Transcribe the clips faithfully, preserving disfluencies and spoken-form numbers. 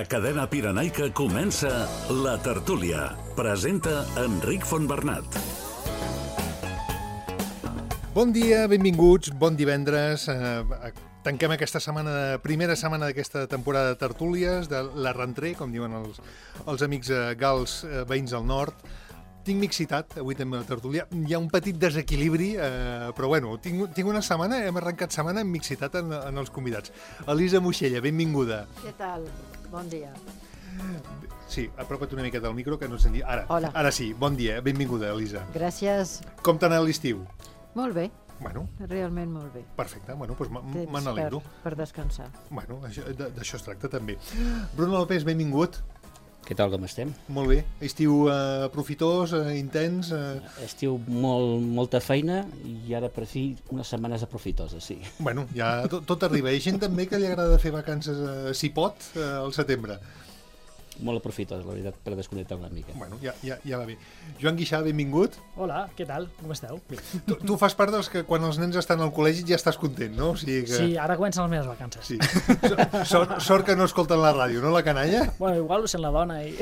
A Cadena Pirenaica comença La Tertúlia. Presenta Enric Fontbernat. Bon dia, benvinguts, bon divendres. Eh, tanquem aquesta setmana, primera setmana d'aquesta temporada de tertúlies, de la rentrée, com diuen els, els amics eh, gals eh, veïns del nord. Tinc mixitat, avui també a la tertúlia. Hi ha un petit desequilibri, eh, però bueno, tinc, tinc una setmana, hem arrencat setmana amb mixitat en, en els convidats. Elisa Moixella, benvinguda. Què tal? Bon dia. Sí, apropa't una miqueta al micro, que no et sentia. Ara, Hola. ara sí, bon dia, benvinguda, Elisa. Gràcies. Com t'ha anat l'estiu? Molt bé, Bueno, realment molt bé. perfecte, bueno, doncs me Temps me n'alegro. per, per descansar. Bueno, això- d- d'això es tracta també. Bruno López, benvingut. Què tal, com estem? Molt bé. Estiu eh, profitós, eh, intens... Eh... Estiu molt, molta feina i ara per fi unes setmanes aprofitoses, sí. Bueno, ja tot, tot arriba. Hi ha gent també que li agrada fer vacances, eh, si pot, eh, al setembre. Molt aprofitoses, la veritat, per desconnectar una mica. Bueno, ja, ja, ja va bé. Joan Guixà, benvingut. Hola, què tal? Com esteu? Tu, tu fas part dels que quan els nens estan al col·legi ja estàs content, no? O sigui que... Sí, ara comencen les meves vacances. Sí. Sort, sort que no escolten la ràdio, no, la canalla? Bueno, igual ho sent la dona i...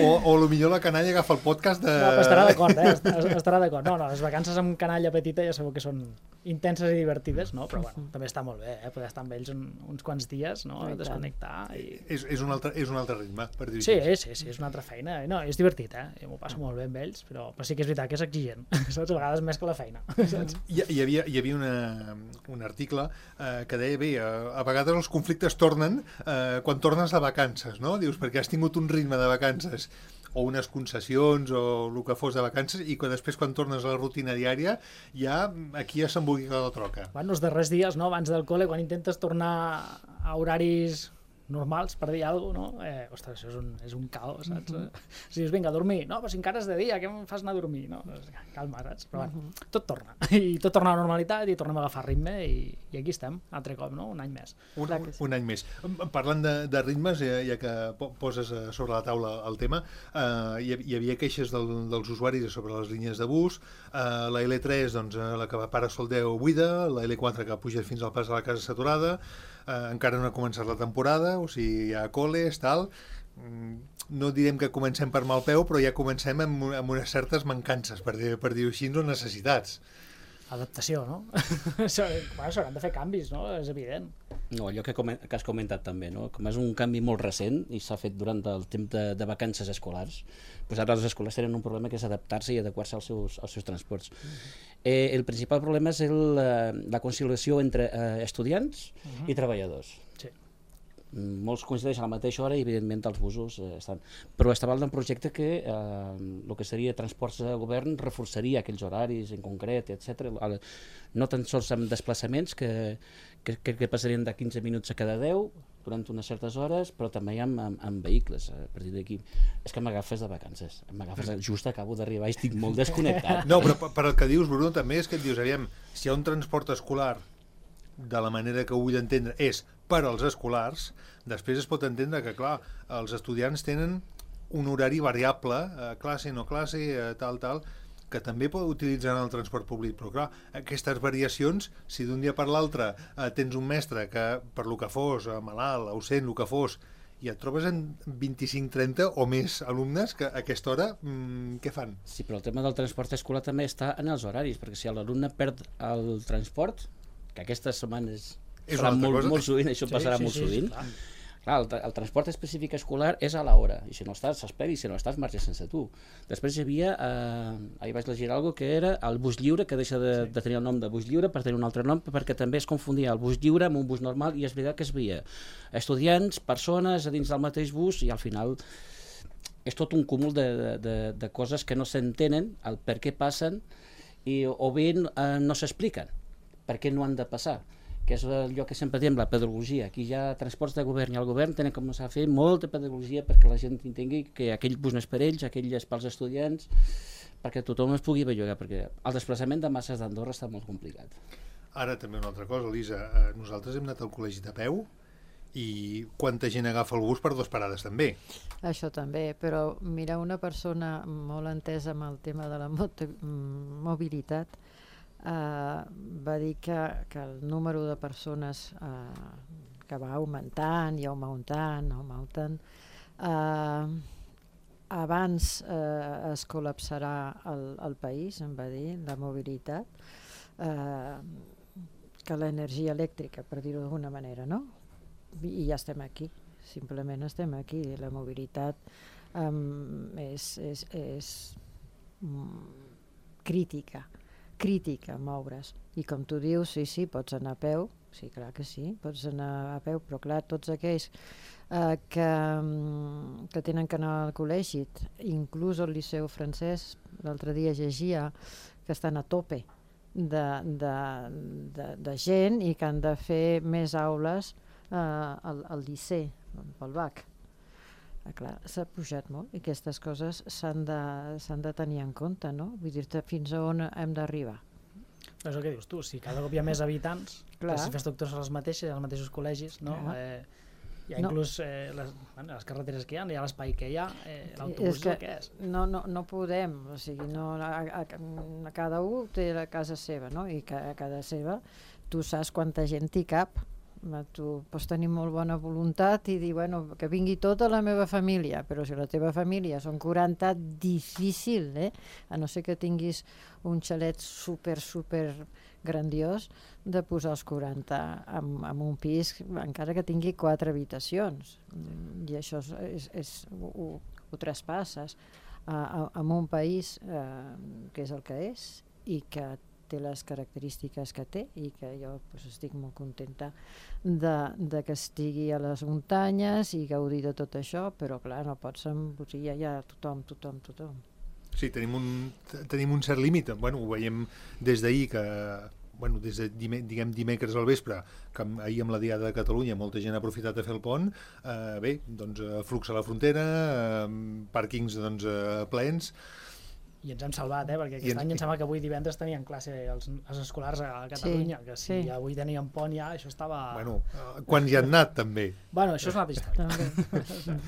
O, o potser la canalla agafa el podcast de... No, però estarà d'acord, eh? Est- Estarà d'acord. No, no, les vacances amb canalla petita ja sabeu que són intenses i divertides, no? Però bueno, també està molt bé, eh? Poder estar amb ells un, uns quants dies, no? I tant. Desconnectar i... És, és, un altre, és un altre ritme, per dir-ho Sí, així. sí, sí, és una altra feina. No, és divertit, eh? Jo m'ho passo molt bé amb ells, però, però sí que és veritat que és exigent, saps? A vegades més que la feina, saps? Hi, hi havia, hi havia una, un article eh, que deia, bé, a, a vegades els conflictes tornen eh, quan tornes de vacances, no? Dius, perquè has tingut un ritme de vacances o unes concessions o el que fos de vacances i que després quan tornes a la rutina diària ja aquí ja s'embolica la troca. Bueno, els darrers dies, no? Abans del col·le, quan intentes tornar a horaris normals, per dir alguna cosa, no? Eh, ostres, això és un, és un caos, saps? Mm -hmm. Si dius, vinga, a dormir. No, però si encara és de dia, què em fas anar a dormir? No? Doncs, calma, saps? Però bueno, tot torna. I tot torna a la normalitat i tornem a agafar ritme i, i aquí estem, altre cop, no? Un any més. Un, Clar un, que sí. un any més. Parlant de, de ritmes, ja, ja que po- poses eh, sobre la taula el tema, eh, hi, hi havia queixes del, dels usuaris sobre les línies de bus, eh, la L tres, doncs, eh, la que va para Soldeu buida, la L quatre que puja fins al pas de la Casa saturada, eh, encara no ha començat la temporada, o sigui, hi ha col·les, tal... Mm, no direm que comencem per mal peu, però ja comencem amb, amb unes certes mancances, per dir- per dir-ho així, o necessitats. Adaptació, no? Això- bueno, s'hauran de fer canvis, no? És evident. No, allò que, comen que has comentat també, no? Com és un canvi molt recent i s'ha fet durant el temps de, de vacances escolars, doncs ara les escoles tenen un problema que és adaptar-se i adequar-se als seus, als seus transports. Eh, el principal problema és el, eh, la conciliació entre eh, estudiants Uh-huh. i treballadors. Sí. Molts coincideixen a la mateixa hora i evidentment els busos eh, estan. Però estava un projecte que eh, el que seria transports de govern reforçaria aquells horaris en concret, etcètera. El- No tan sols amb desplaçaments que, que, que, que passarien de quinze minuts a cada deu durant unes certes hores, però també amb, amb, amb vehicles. A partir d'aquí, és que m'agafes de vacances, m'agafes, just acabo d'arribar i estic molt desconnectat. No, però per, per el que dius, Bruno, també és que et dius, aviam, si hi ha un transport escolar de la manera que ho vull entendre és per als escolars, després es pot entendre que, clar, els estudiants tenen un horari variable, eh, classe, no classe, eh, tal, tal, que també pot utilitzar en el transport públic, però clar, aquestes variacions, si d'un dia per l'altre eh, tens un mestre que, per lo que fos, eh, malalt, ausent, el que fos, i et trobes en vint-i-cinc trenta o més alumnes que a aquesta hora, mmm, què fan? Sí, però el tema del transport escolar també està en els horaris, perquè si l'alumne perd el transport, que aquestes setmanes És serà una altra molt, cosa. molt sovint, això passarà molt sí, sovint. clar. Clar, el, tra- el transport específic escolar és a l'hora, i si no estàs, s'espera, i si no estàs, marxa sense tu. Després hi havia, eh, ahir vaig llegir alguna que era el bus lliure, que deixa de, sí. de tenir el nom de bus lliure per tenir un altre nom, perquè també es confondia el bus lliure amb un bus normal, i és veritat que es veia estudiants, persones a dins del mateix bus, i al final és tot un cúmul de, de, de, de coses que no s'entenen, el per què passen, i, o bé eh, no s'expliquen per què no han de passar, que és allò que sempre diem, la pedagogia. Aquí hi ha transports de govern i el govern tenen que començar a fer molta pedagogia perquè la gent entengui que aquell bus no és per ells, aquell és pels estudiants, perquè tothom es pugui bellugar, perquè el desplaçament de masses d'Andorra està molt complicat. Ara també una altra cosa, Elisa, eh, nosaltres hem anat al col·legi de peu i quanta gent agafa el bus per dues parades també. Això també, però mira, una persona molt entesa amb el tema de la moto, mobilitat eh, va dir que, que el número de persones eh, que va augmentant i augmentant, augmentant. Uh, abans uh, es col·lapsarà el, el país, em va dir, la mobilitat, uh, que l'energia elèctrica, per dir-ho d'alguna manera, no? I, I ja estem aquí, simplement estem aquí. La mobilitat um, és, és, és um, crítica, crítica moure's. I com tu dius, sí, sí, pots anar a peu, sí, clar que sí, pots anar a peu, però clar, tots aquells eh, que, que tenen que anar al col·legi, inclús al Liceu Francès, l'altre dia llegia que estan a tope de, de, de, de gent i que han de fer més aules eh, al, al Liceu, pel B A C. Ah, clar, s'ha pujat molt i aquestes coses s'han de, s'han de tenir en compte, no? Vull dir-te fins a on hem d'arribar. Però és el que dius tu, si cada cop hi ha més habitants, Clar. les infraestructures són les mateixes, hi ha els mateixos col·legis, no? Eh, hi ha No. inclús eh, les, bueno, les carreteres que hi ha, hi ha l'espai que hi ha, eh, l'autobús és el que és. No, no, no podem, o sigui, no, a, a, a cada un té la casa seva, no? I que a cada seva tu saps quanta gent hi cap. Tu pots tenir molt bona voluntat i dir, bueno, que vingui tota la meva família, però si la teva família són quaranta, difícil, eh? A no ser que tinguis un xalet super, super grandiós, de posar els quaranta en, en un pis, encara que tingui quatre habitacions. I això és, és, és, ho, ho traspasses a, a, a un país eh, que és el que és i que té les característiques que té i que jo pues, estic molt contenta de, de que estigui a les muntanyes i gaudir de tot això, però clar, no pots embosir ja tothom, tothom, tothom. Sí, tenim un, tenim un cert límit. Bueno, ho veiem des d'ahir que bueno, des de dime, diguem dimecres al vespre, que ahir amb la Diada de Catalunya molta gent ha aprofitat a fer el pont, eh, bé, doncs flux a la frontera, eh, pàrquings doncs, eh, plens. I ens hem salvat, eh? Perquè aquest ens... any em sembla que avui divendres tenien classe els, els escolars a Catalunya, sí, que si sí. avui tenien pont ja, això estava... Bueno, quan hi han anat, també. Bueno, això és una altra història.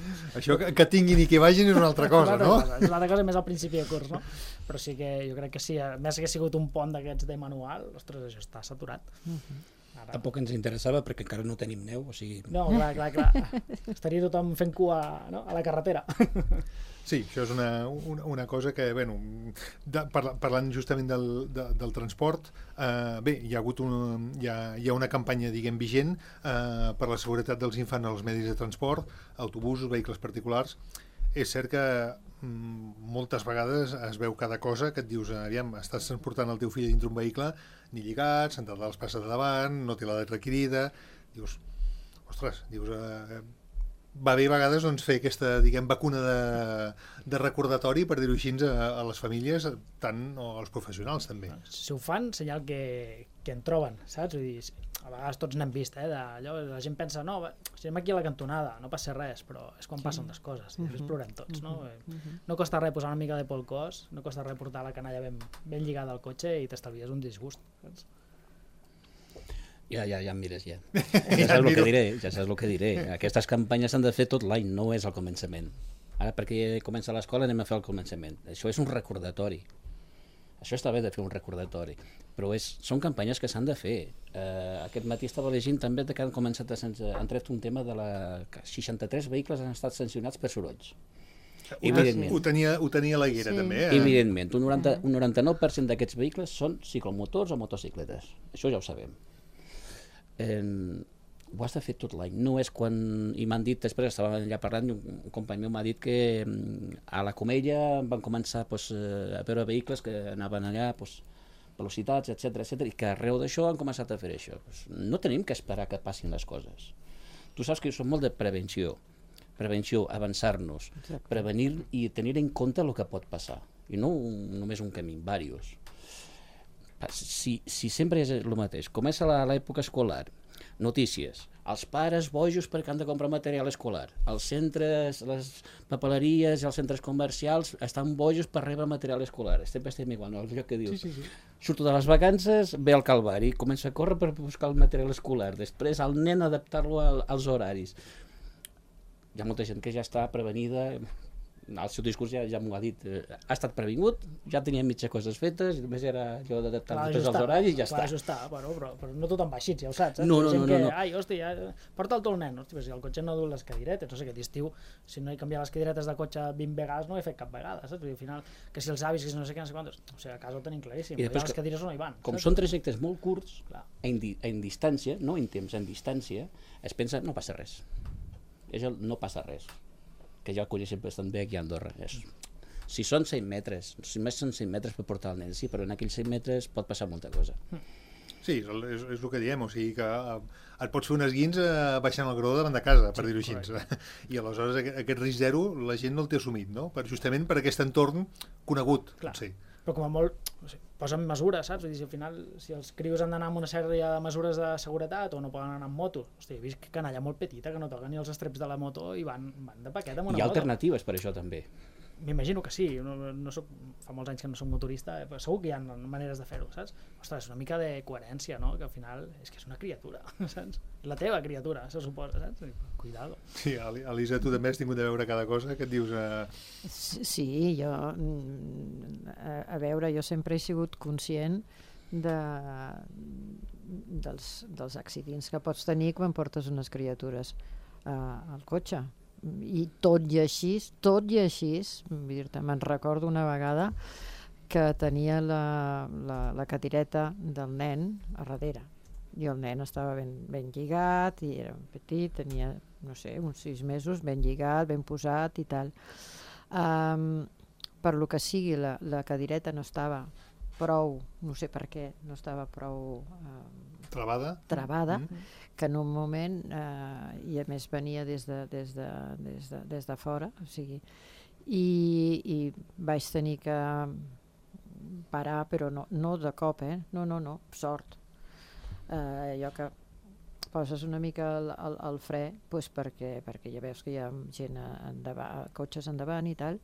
Això que, que tinguin i que vagin és una altra cosa, una altra no? Cosa. És una altra cosa més al principi de curs, no? Però sí que jo crec que sí, a més que ha sigut un pont d'aquests de manual, ostres, això està saturat. Uh-huh. Ara... Tampoc ens interessava perquè encara no tenim neu, o sigui... No, clar, clar, clar. Estaria tothom fent cua, no? A la carretera. Sí, això és una, una, una cosa que, bueno, de, parla, parlant justament del, de, del transport, eh, bé, hi ha hagut un, hi ha, hi ha una campanya, diguem, vigent eh, per la seguretat dels infants als medis de transport, autobusos, vehicles particulars. És cert que mm, moltes vegades es veu cada cosa que et dius, aviam, estàs transportant el teu fill dintre un vehicle, ni lligat, sentat a l'espasa de davant, no té l'edat requerida, dius, ostres, dius... Eh, va bé a vegades doncs, fer aquesta, diguem, vacuna de, de recordatori, per dir-ho així, a, a les famílies, tant o als professionals també. Si ho fan, senyal que, que en troben, saps? Vull dir, a vegades tots n'hem vist, eh? Allò, la gent pensa, no, estem aquí a la cantonada, no passa res, però és quan sí. passen les coses, i després uh-huh. plorem tots, no? Uh-huh. No costa res posar una mica de polcós, no costa res portar la canalla ben, ben lligada al cotxe i t'estalvies un disgust, saps? Ja, ja, ja em mires, ja. Ja saps el que diré, ja saps el que diré. Aquestes campanyes s'han de fer tot l'any, no és al començament. Ara, perquè comença l'escola, anem a fer el començament. Això és un recordatori. Això està bé de fer un recordatori, però és, són campanyes que s'han de fer. Eh, aquest matí estava llegint també que han començat a sense, han tret un tema de la... que seixanta-tres vehicles han estat sancionats per sorolls. Evidentment. Ho tenia, ho tenia la Guera, sí. també. Eh? Evidentment, un, noranta, un noranta-nou per cent d'aquests vehicles són ciclomotors o motocicletes. Això ja ho sabem. Eh, ho has de fer tot l'any, no és quan, i m'han dit, després estava allà parlant, un company meu m'ha dit que a la Comella van començar pues, a veure vehicles que anaven allà, pues, velocitats, etcètera, etcètera, i que arreu d'això han començat a fer això. Pues, no tenim que esperar que passin les coses. Tu saps que jo soc molt de prevenció, prevenció, avançar-nos, prevenir i tenir en compte el que pot passar, i no un, només un camí, diversos. Si, si sempre és el mateix, comença l'època escolar, notícies, els pares bojos perquè han de comprar material escolar, els centres, les papeleries i els centres comercials estan bojos per rebre material escolar, sempre estem igual, no? El lloc que dius, sí, sí, sí. Surto de les vacances, ve al calvari, comença a córrer per buscar el material escolar, després el nen adaptar-lo als horaris. Hi ha molta gent que ja està prevenida, el seu discurs ja, ja m'ho ha dit, eh, ha estat previngut, ja tenia mitges coses fetes, i només era allò d'adaptar després els horaris i ja clar, està. Ajustar, bueno, però, però no tothom va així, ja ho saps, eh? No, no, Gent no, que, no, no. ai, hòstia, ja, porta'l tu el nen, hòstia, si el cotxe no du les cadiretes, no sé, aquest estiu, si no he canviat les cadiretes de cotxe vint vegades, no ho he fet cap vegada, saps? Vull dir, al final, que si els avis, que si no sé què, no sé quantos, o sigui, a casa ho tenim claríssim, I després les cadires no hi van. Com saps? són trajectes molt curts, Clar. en, di en distància, no en temps, en distància, es pensa, no passa res. És el no passa res. Que ja el coneixem bastant bé aquí a Andorra. És, si són cent metres, si més són cent metres per portar el nen, sí, però en aquells cent metres pot passar molta cosa. Sí, és, és, és el que diem, o sigui que eh, et pots fer un esguins eh, baixant el graó davant de casa, per sí, dir-ho així. I aleshores aquest, aquest risc zero la gent no el té assumit, no? Per, justament per aquest entorn conegut. Clar. Sí. Però com a molt, o sigui, posen mesures, saps? Vull dir, si al final, si els crios han d'anar amb una sèrie de mesures de seguretat o no poden anar amb moto, hosti, he vist canalla molt petita que no toquen ni els estreps de la moto i van, van de paquet amb una Hi ha moto. alternatives per això també. M'imagino que sí, no, no soc, fa molts anys que no soc motorista, eh, però segur que hi ha maneres de fer-ho, saps? Ostres, és una mica de coherència, no? Que al final és que és una criatura, saps? La teva criatura, se suposa, saps? Cuidado. Sí, Elisa, tu també has tingut de veure cada cosa que et dius... Eh... Sí, jo... A, a veure, jo sempre he sigut conscient de, dels, dels accidents que pots tenir quan portes unes criatures uh, al cotxe. I tot i així, tot i així, me'n recordo una vegada que tenia la, la, la cadireta del nen a darrere i el nen estava ben, ben lligat i era petit, tenia, no sé, uns sis mesos, ben lligat, ben posat i tal. Um, per lo que sigui, la, la cadireta no estava prou, no sé per què, no estava prou... Um, Travada? Travada, mm. que en un moment, eh, i a més venia des de, des de, des de, des de fora, o sigui, i, i vaig tenir que parar, però no, no de cop, eh? No, no, no, sort. Eh, allò que poses una mica el, el, el fre, pues perquè, perquè ja veus que hi ha gent endavant, cotxes endavant i tal,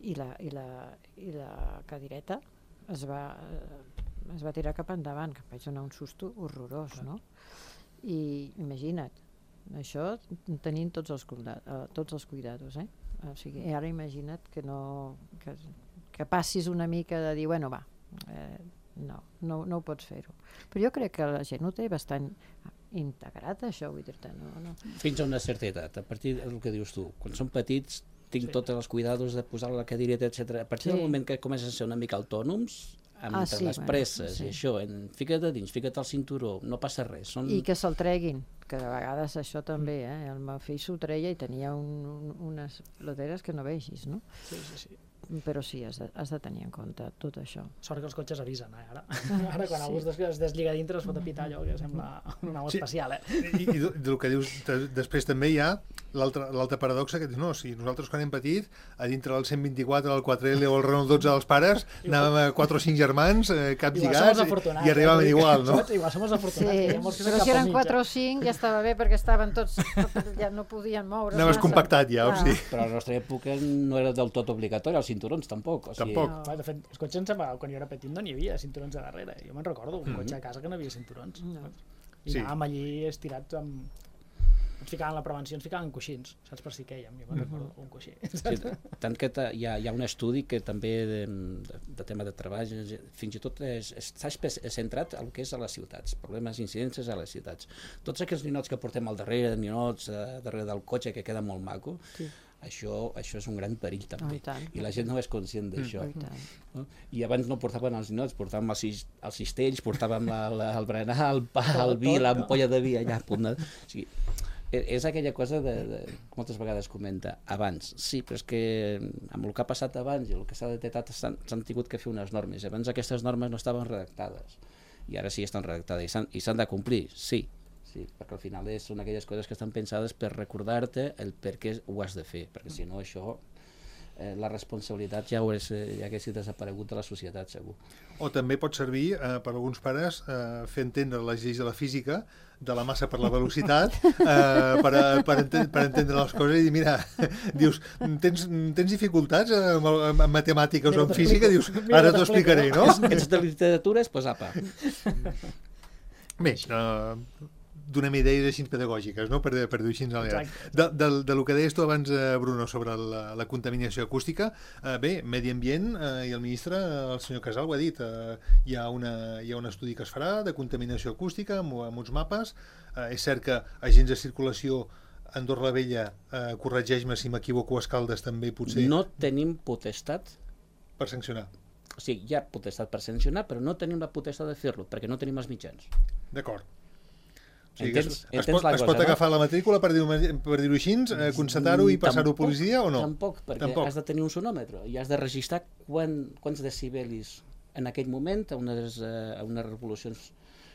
i la, i la, i la cadireta es va, es va tirar cap endavant, que em vaig donar un susto horrorós, no? I imagina't, això tenint tots els, uh, tots els cuidados, eh? O sigui, ara imagina't que no que, que passis una mica de dir, bueno, va, eh, no, no, no ho pots fer-ho. Però jo crec que la gent ho té bastant integrat, això, vull dir-te, no, no. Fins a una certa edat, a partir del que dius tu, quan són petits tinc sí. tots els cuidados de posar la cadireta, etcètera. A partir sí. del moment que comencen a ser una mica autònoms, amb ah, sí, les bueno, presses sí. i això, en, fica't a dins, fica't al cinturó, no passa res. Són... I que se'l treguin, que de vegades això també, eh? El meu fill s'ho treia i tenia un, un, unes loteres que no vegis, no? Sí, sí, sí. Però sí, has de, has de tenir en compte tot això. Sort que els cotxes avisen, eh, ara. Ara quan sí. algú es, es deslliga dintre es fot a pitar allò que sembla una nau sí. espacial, eh? I, i del que dius, després també hi ha l'altra paradoxa que dius, no, si nosaltres quan hem patit, a dintre del cent vint-i-quatre, el quatre L o el Renault dotze dels pares, anàvem a quatre o cinc germans, eh, caps lligats, i arribàvem eh? igual, no? Igual som els afortunats. Sí, però si eren quatre o cinc ja estava bé perquè estaven tots, ja no podien moure. Anaves compactat ja, ah. o sí. Però a la nostra època no era del tot obligatori, els cinturons tampoc. O sigui... Tampoc. No. De fet, els cotxes, quan jo era petit, no n'hi havia cinturons a darrere. Jo me'n recordo, un mm -hmm. cotxe a casa que no havia cinturons. No. I sí. anàvem allí estirats amb... Ens ficaven la prevenció, ens ficaven coixins, saps, per si quèiem, jo me'n recordo, un coixí. Sí, tant que hi ha, hi ha un estudi que també de, de, de tema de treball, fins i tot és, està centrat en el que és a les ciutats, problemes, incidències a les ciutats. Tots aquells ninots que portem al darrere, ninots a darrere del cotxe, que queda molt maco, sí. Això, això és un gran perill també, oh, i, i la gent no és conscient d'això. Mm. No? I abans no portaven els ninots, portàvem els, els cistells, portàvem el, el berenar, el pa, el vi, l'ampolla de vi allà a punt de... O sigui, és aquella cosa de, de, moltes vegades comenta, abans, sí, però és que amb el que ha passat abans i el que s'ha detectat s'han tingut que fer unes normes, abans aquestes normes no estaven redactades, i ara sí estan redactades i s'han de complir, sí, sí, perquè al final és, són aquelles coses que estan pensades per recordar-te el per què ho has de fer, perquè si no això, eh, la responsabilitat ja, hagués, ja hagués desaparegut de la societat, segur. O també pot servir eh, per alguns pares eh, fer entendre les lleis de la física, de la massa per la velocitat, eh, per, a, per, enten per entendre les coses i dir, mira, dius, tens, tens dificultats en, en matemàtiques mira, o en física? Dius, ara t'ho explicaré, no? Ets de literatures? Doncs apa. Bé, eh, donem idees així pedagògiques, no? per, per dir-ho així. De, de, de lo que deies tu abans, Bruno, sobre la, la contaminació acústica, eh, bé, Medi Ambient eh, i el ministre, el senyor Casal, ho ha dit, eh, hi, ha una, hi ha un estudi que es farà de contaminació acústica amb, amb uns mapes. Eh, és cert que agents de circulació Andorra la Vella, eh, corregeix-me si m'equivoco, Escaldes també potser... No tenim potestat per sancionar. O sigui, hi ha potestat per sancionar, però no tenim la potestat de fer-lo, perquè no tenim els mitjans. D'acord. O sigui, entens, es, es, pot, es pot agafar no? la matrícula, per dir-ho per dir així, eh, constatar-ho i passar-ho a policia o no? Tampoc, perquè tampoc. Has de tenir un sonòmetre i has de registrar quan, quants decibelis en aquell moment, a unes, a unes revolucions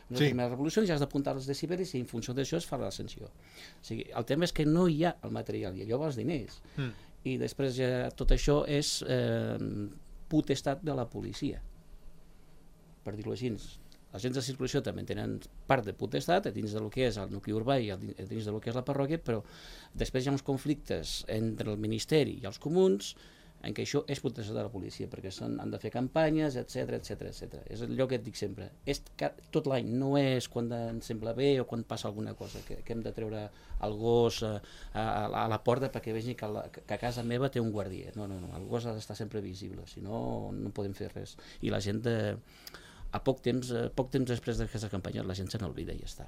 unes sí. primeres revolucions, ja has d'apuntar els decibelis i en funció d'això es fa la sanció. O sigui, el tema és que no hi ha el material i allò va els diners. Mm. I després ja, tot això és eh, potestat de la policia, per dir-ho així. Els agents de circulació també tenen part de potestat a dins del que és el nucli urbà i a dins del que és la parròquia, però després hi ha uns conflictes entre el Ministeri i els comuns en què això és potestat de la policia, perquè són, han de fer campanyes, etcètera, etcètera, etcètera. És allò que et dic sempre. És que tot l'any, no és quan ens sembla bé o quan passa alguna cosa, que, que hem de treure el gos a, a, a la porta perquè vegi que, la, que a casa meva té un guardià. No, no, no, el gos ha d'estar sempre visible, si no, no podem fer res. I la gent, de, a poc temps, a poc temps després d'aquesta campanya, la gent se n'olvida i ja està.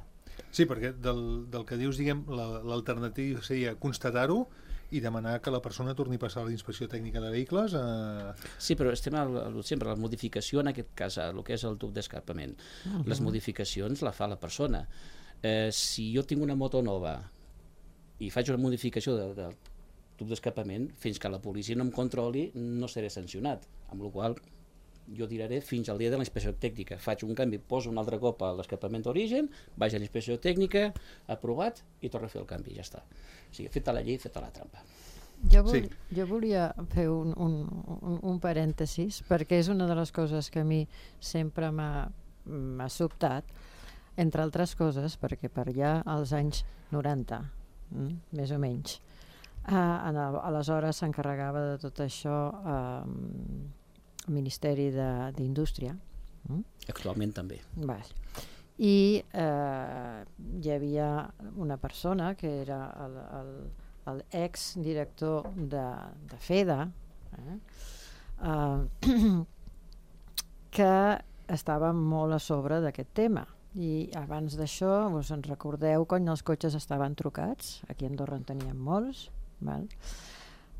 Sí, perquè del, del que dius, diguem, l'alternativa seria constatar-ho i demanar que la persona torni a passar a la inspecció tècnica de vehicles. Eh... Sí, però estem al, al, sempre a la modificació, en aquest cas, el que és el tub d'escapament. Uh -huh. Les modificacions la fa la persona. Eh, si jo tinc una moto nova i faig una modificació de, del tub d'escapament, fins que la policia no em controli, no seré sancionat, amb la qual cosa jo tiraré fins al dia de la inspecció tècnica. Faig un canvi, poso un altre cop a l'escapament d'origen, vaig a la inspecció tècnica, aprovat, i torno a fer el canvi, ja està. O sigui, feta la llei, feta la trampa. Jo, vol, sí. jo volia fer un, un, un, un parèntesis, perquè és una de les coses que a mi sempre m'ha sobtat, entre altres coses, perquè per allà als anys noranta, mm, més o menys, eh, aleshores s'encarregava de tot això eh, el Ministeri d'Indústria. Mm? Actualment també. Val. I eh, hi havia una persona que era l'ex-director de, de FEDA, eh? Eh, que estava molt a sobre d'aquest tema. I abans d'això, us en recordeu quan els cotxes estaven trucats? Aquí a Andorra en teníem molts. Val?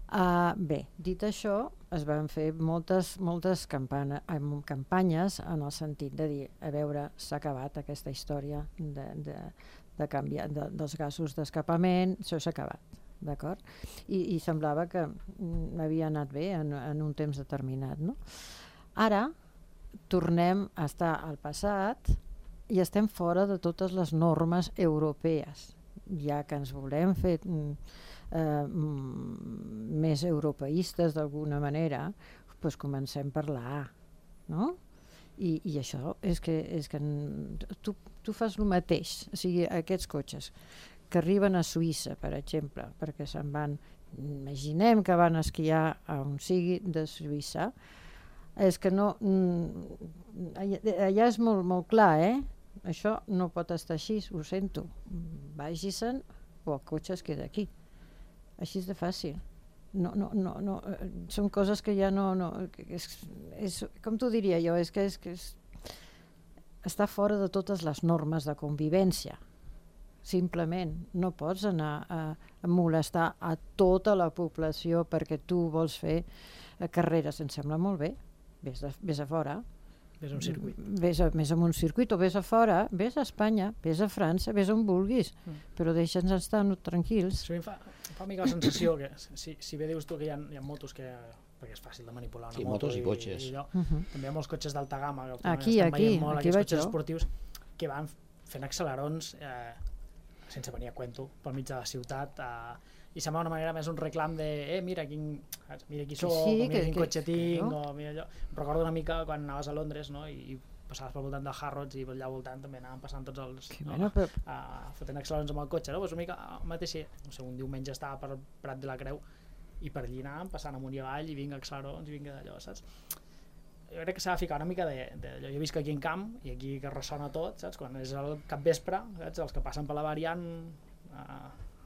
Uh, bé, dit això, es van fer moltes, moltes campana, eh, campanyes en el sentit de dir, a veure, s'ha acabat aquesta història de, de, de canviar de, dels gasos d'escapament, això s'ha acabat, d'acord? I, I semblava que mm, havia anat bé en, en un temps determinat, no? Ara tornem a estar al passat i estem fora de totes les normes europees, ja que ens volem fer... Mm, Eh, més europeistes d'alguna manera, doncs comencem per la A, no? I, i això és que, és que tu, tu fas el mateix, o sigui, aquests cotxes que arriben a Suïssa, per exemple, perquè se'n van, imaginem que van esquiar a on sigui de Suïssa, és que no, allà, allà és molt, molt clar, eh? Això no pot estar així, ho sento, vagi-se'n o el cotxe es queda aquí. Així és de fàcil. No, no, no, no. Són coses que ja no... no és, és, com t'ho diria jo? És que, és que és, està fora de totes les normes de convivència. Simplement. No pots anar a, a molestar a tota la població perquè tu vols fer carreres. Em sembla molt bé. Vés, de, vés a fora. Vés a un circuit. Vés a, vés a un circuit o vés a fora, vés a Espanya, vés a França, vés on vulguis, mm. però deixa'ns estar no, tranquils. Sí, em fa, em fa una mica la sensació que si, si bé dius tu que hi ha, hi ha motos que, perquè és fàcil de manipular una sí, moto motos i, i cotxes. I allò, uh -huh. també hi ha molts cotxes d'alta gamma que aquí, aquí, molt, aquí aquests vaig cotxes jo. esportius que van fent accelerons eh, sense venir a cuento pel mig de la ciutat eh, i sembla una manera més un reclam de eh, mira quin, mira qui soc, sí, o mira que, quin que, cotxe tinc, no? O mira allò. Em recordo una mica quan anaves a Londres, no? I, i passaves pel voltant de Harrods i allà al voltant també anaven passant tots els no? bueno, però... uh, fotent accelerons amb el cotxe, no? Pues una mica el mateix, no sé, un diumenge estava per Prat de la Creu i per allí anàvem passant amunt i avall i vinga accelerons i vinga d'allò, saps? jo crec que s'ha de ficar una mica de, de... Jo visc aquí en camp i aquí que ressona tot, saps? Quan és el capvespre, saps? Els que passen per la variant eh,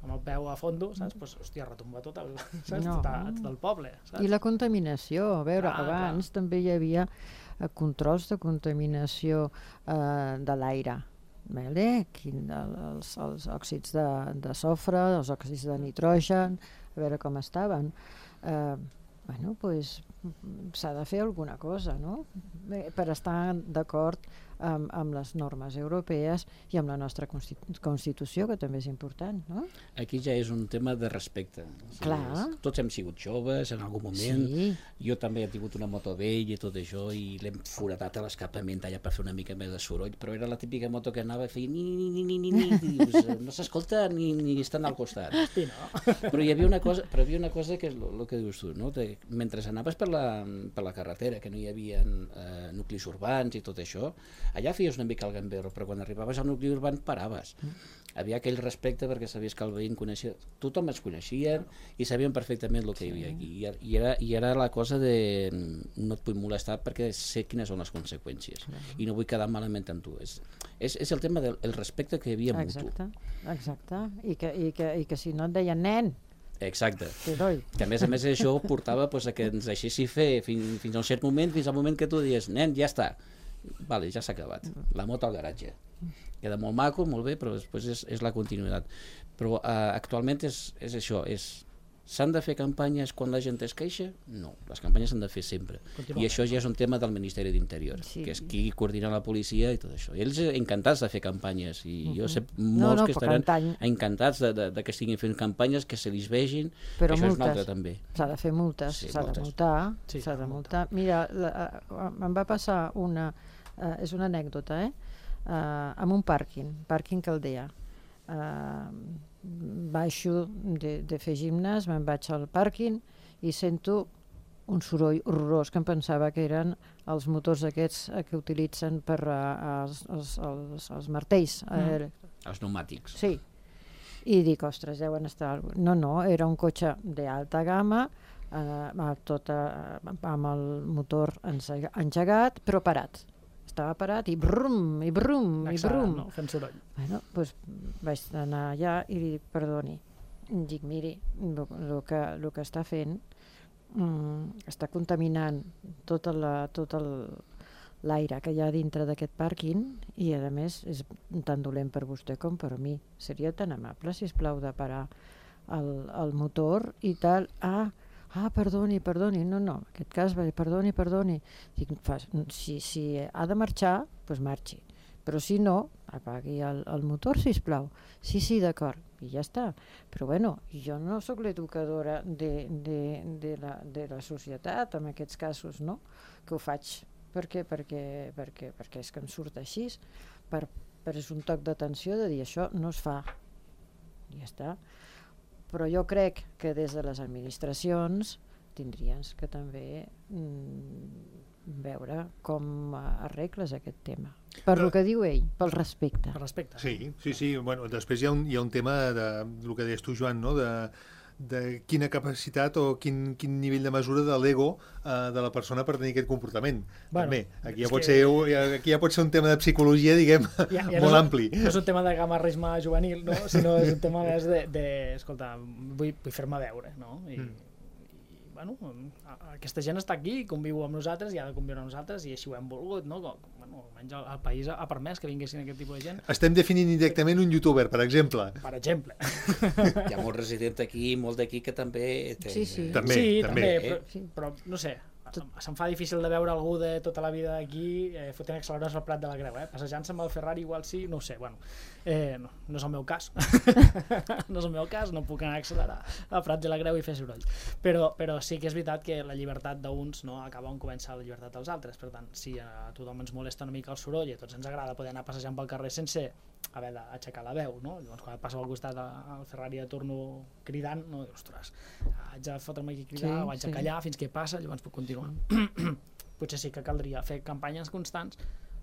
amb el peu a fondo, saps? Pues, hòstia, retomba tot el, saps? No. Tot, a, tot el poble, saps? I la contaminació, a veure, Clar, abans també hi havia eh, controls de contaminació eh, de l'aire. Vale? Quin, el, els, els òxids de, de sofre, els òxids de nitrogen, a veure com estaven. Eh, bueno, pues, s'ha de fer alguna cosa, no? Bé, per estar d'acord amb, amb les normes europees i amb la nostra constitu Constitució, que també és important, no? Aquí ja és un tema de respecte. O sigui, Clar. és, tots hem sigut joves en algun moment, Sí. jo també he tingut una moto vella i tot això, i l'hem foradat a l'escapament allà per fer una mica més de soroll, però era la típica moto que anava a fer ni ni ni ni ni ni, i dius, no s'escolta ni, ni estan al costat. Sí, no? Però hi havia una cosa, però hi havia una cosa que és el que dius tu, no? De, mentre anaves per la, per la carretera, que no hi havia eh, nuclis urbans i tot això, allà feies una mica el gamberro, però quan arribaves al nucli urbà paraves. Mm. Havia aquell respecte perquè sabies que el veí coneixia, tothom es coneixia i sabien perfectament el que hi havia aquí. I, i, era, I era la cosa de no et vull molestar perquè sé quines són les conseqüències mm. i no vull quedar malament amb tu. És, és, és el tema del el respecte que hi havia mutu. Exacte, exacte. I que, i, que, i que si no et deien nen, Exacte. Heroi. Que a més a més això portava pues, a que ens deixessi fer fins, fins a un cert moment, fins al moment que tu dius, nen, ja està. Vale, ja s'ha acabat. La moto al garatge. Queda molt maco, molt bé, però després és, és la continuïtat. Però eh, actualment és, és això, és s'han de fer campanyes quan la gent es queixa? No, les campanyes s'han de fer sempre. I això ja és un tema del Ministeri d'Interior, Sí. que és qui coordina la policia i tot això. I ells encantats de fer campanyes, i uh -huh. jo sé molts No, no, que però estaran cantany- encantats de, de, de que estiguin fent campanyes, que se li vegin, Però això és un multes. altre també. S'ha de fer multes, Sí, s'ha de multes. multar, Sí, s'ha de s'ha de multar. Mira, la, uh, em va passar una, uh, és una anècdota, eh? Uh, amb un pàrquing, pàrquing Caldea. Uh, baixo de, de fer gimnàs, me'n vaig al pàrquing i sento un soroll horrorós que em pensava que eren els motors aquests eh, que utilitzen per uh, els, els, els, els martells. Mm. Eh, Els pneumàtics. Sí. I dic, ostres, deuen estar... No, no, era un cotxe d'alta gamma, eh, tot eh, amb el motor ensega- engegat, però parat. Estava parat i brum, i brum, i Accelerat, brum. no? Fent soroll. Bueno, doncs vaig anar allà i li dic, perdoni, dic, miri, el que, lo que està fent mm, està contaminant tot la, tot el, l'aire que hi ha dintre d'aquest pàrquing i a més és tan dolent per vostè com per mi. Seria tan amable, si us plau, de parar el, el motor i tal. Ah, ah, perdoni, perdoni, no, no, en aquest cas, va dir, perdoni, perdoni. Dic, fa, si, si ha de marxar, doncs marxi. Però si no, apagui el, el motor, sisplau. Sí, sí, d'acord. I ja està. Però bueno, jo no sóc l'educadora de, de, de, la, de la societat, en aquests casos, no? Que ho faig. Per què? Perquè, perquè, perquè és que em surt així. Per, per és un toc d'atenció de dir això no es fa. I ja està. Però jo crec que des de les administracions tindrien que també mm, veure com arregles aquest tema. Per Però- el que diu ell, pel respecte. Per respecte. Sí, sí, sí. Bueno, després hi ha un, hi ha un tema de, del que deies tu, Joan, no? de, de quina capacitat o quin, quin nivell de mesura de l'ego eh, de la persona per tenir aquest comportament. Bueno, També, aquí ja, és pot que- ser, aquí ja pot ser un tema de psicologia, diguem, Ja, ja molt no és, ampli. No és un tema de gamarrisme juvenil, no? Sinó és un tema més de, de escolta, vull, vull fer-me veure, no? I, Mm. i bueno, a- aquesta gent està aquí, conviu amb nosaltres i ha de conviure amb nosaltres i així ho hem volgut, no? Com, bueno, almenys el, el país ha, ha permès que vinguessin aquest tipus de gent, Estem definint indirectament un youtuber, per exemple. per exemple. Hi ha molt resident aquí, molt d'aquí que també... Té... Sí, sí. També, sí, també. també, però, Sí. però no sé, se'm fa difícil de veure algú de tota la vida aquí eh, fotent acceleradors al Prat de la Creu, eh? Passejant-se amb el Ferrari igual sí, no ho sé, bueno, eh, no, no és el meu cas, no és el meu cas, no puc anar a accelerar al Prat de la Creu i fer soroll, però, però sí que és veritat que la llibertat d'uns no acaba on comença la llibertat dels altres, per tant, si a tothom ens molesta una mica el soroll i a tots ens agrada poder anar passejant pel carrer sense haver d'aixecar la veu, no? Llavors quan et passa al costat al Ferrari de torno cridant, no, dius, ostres, haig de fotre'm aquí a cridar, Sí, o haig de sí. callar fins que passa, llavors puc continuar. Potser sí que caldria fer campanyes constants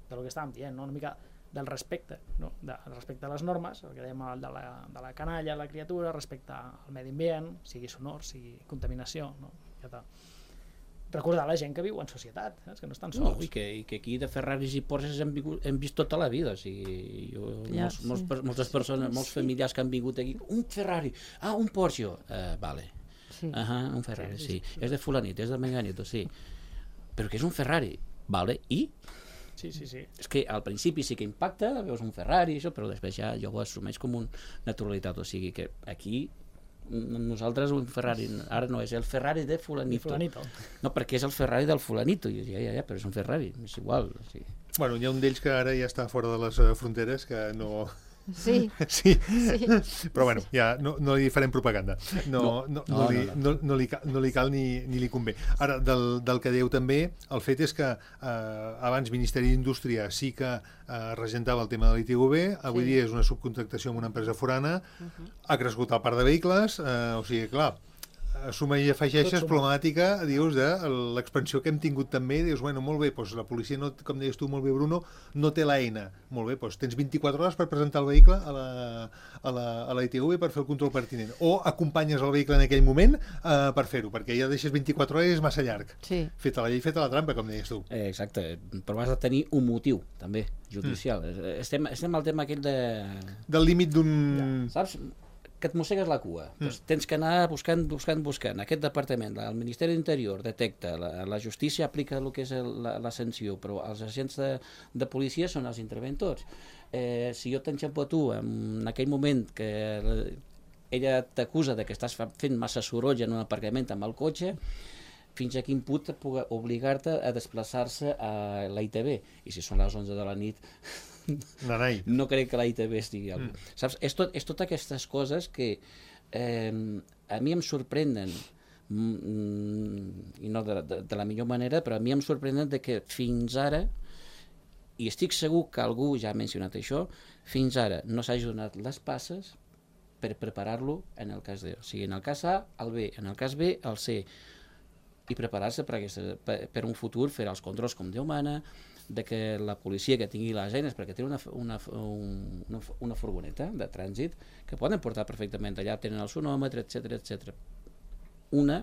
del que estàvem dient, no? Una mica del respecte, no? De, respecte a les normes, el que dèiem de la, de la canalla, la criatura, respecte al medi ambient, sigui sonor, sigui contaminació, no? Ja està. recordar la gent que viu en societat, saps? Que no estan No, sols. i, que, i que aquí de Ferraris i Porsches hem, vingut, hem vist tota la vida. O sigui, jo, Ja, molts, sí. molts, per- moltes persones, molts Sí. familiars que han vingut aquí, un Ferrari, ah, un Porsche, uh, vale, Sí. uh un Ferrari, sí, és de fulanito, és de menganito, sí, però que és un Ferrari, vale, i? Sí, sí, sí. És que al principi sí que impacta, veus un Ferrari, això, però després ja jo ho assumeix com una naturalitat, o sigui que aquí nosaltres un Ferrari, ara no és el Ferrari de Ni fulanito, fulanito. no, perquè és el Ferrari del fulanito, i jo, ja, ja, ja, però és un Ferrari, és igual, o sigui. Bueno, hi ha un d'ells que ara ja està fora de les eh, fronteres, que no... Sí, Sí, sí. però bueno, ja no, no li farem propaganda. No, no, no, No, li, no, no, no, li, cal, no li cal ni, ni li convé. Ara, del, del que dèieu també, el fet és que eh, abans Ministeri d'Indústria sí que eh, regentava el tema de l'I T V, avui Sí. dia és una subcontractació amb una empresa forana, ha crescut el parc de vehicles, eh, o sigui, clar, suma i afegeixes Tot suma. problemàtica, dius, de l'expansió que hem tingut també, dius, bueno, molt bé, doncs la policia, no, com deies tu molt bé, Bruno, no té l'eina. Molt bé, doncs tens vint-i-quatre hores per presentar el vehicle a la, a la, a la I T V per fer el control pertinent. O acompanyes el vehicle en aquell moment eh, per fer-ho, perquè ja deixes vint-i-quatre hores i és massa llarg. Sí. Feta la llei, feta la trampa, com deies tu. Eh, exacte, però has de tenir un motiu, també, judicial. Mm. Estem, estem al tema aquell de... Del límit d'un... Saps? Que et mossegues la cua. Mm. Doncs tens que anar buscant, buscant, buscant. Aquest departament, el Ministeri d'Interior detecta, la, la justícia aplica el que és el, la, la sanció, però els agents de, de policia són els interventors. Eh, si jo t'enxampo a tu en aquell moment que ella t'acusa de que estàs fa- fent massa soroll en un aparcament amb el cotxe, fins a quin punt puga obligar-te a desplaçar-se a la I T V. I si són les onze de la nit, Nanai. no crec que la I T V estigui al... Mm. Saps? És, tot, és totes aquestes coses que eh, a mi em sorprenen, mm, i no de, de, de la millor manera, però a mi em sorprenen de que fins ara, i estic segur que algú ja ha mencionat això, fins ara no s'hagi donat les passes per preparar-lo en el cas D. O sigui, en el cas A, el B, en el cas B, el C, i preparar-se per, aquesta, per, per un futur, fer els controls com Déu mana, de que la policia que tingui les eines, perquè té una, una, un, una, una furgoneta de trànsit que poden portar perfectament allà, tenen el sonòmetre, etc etc. Una,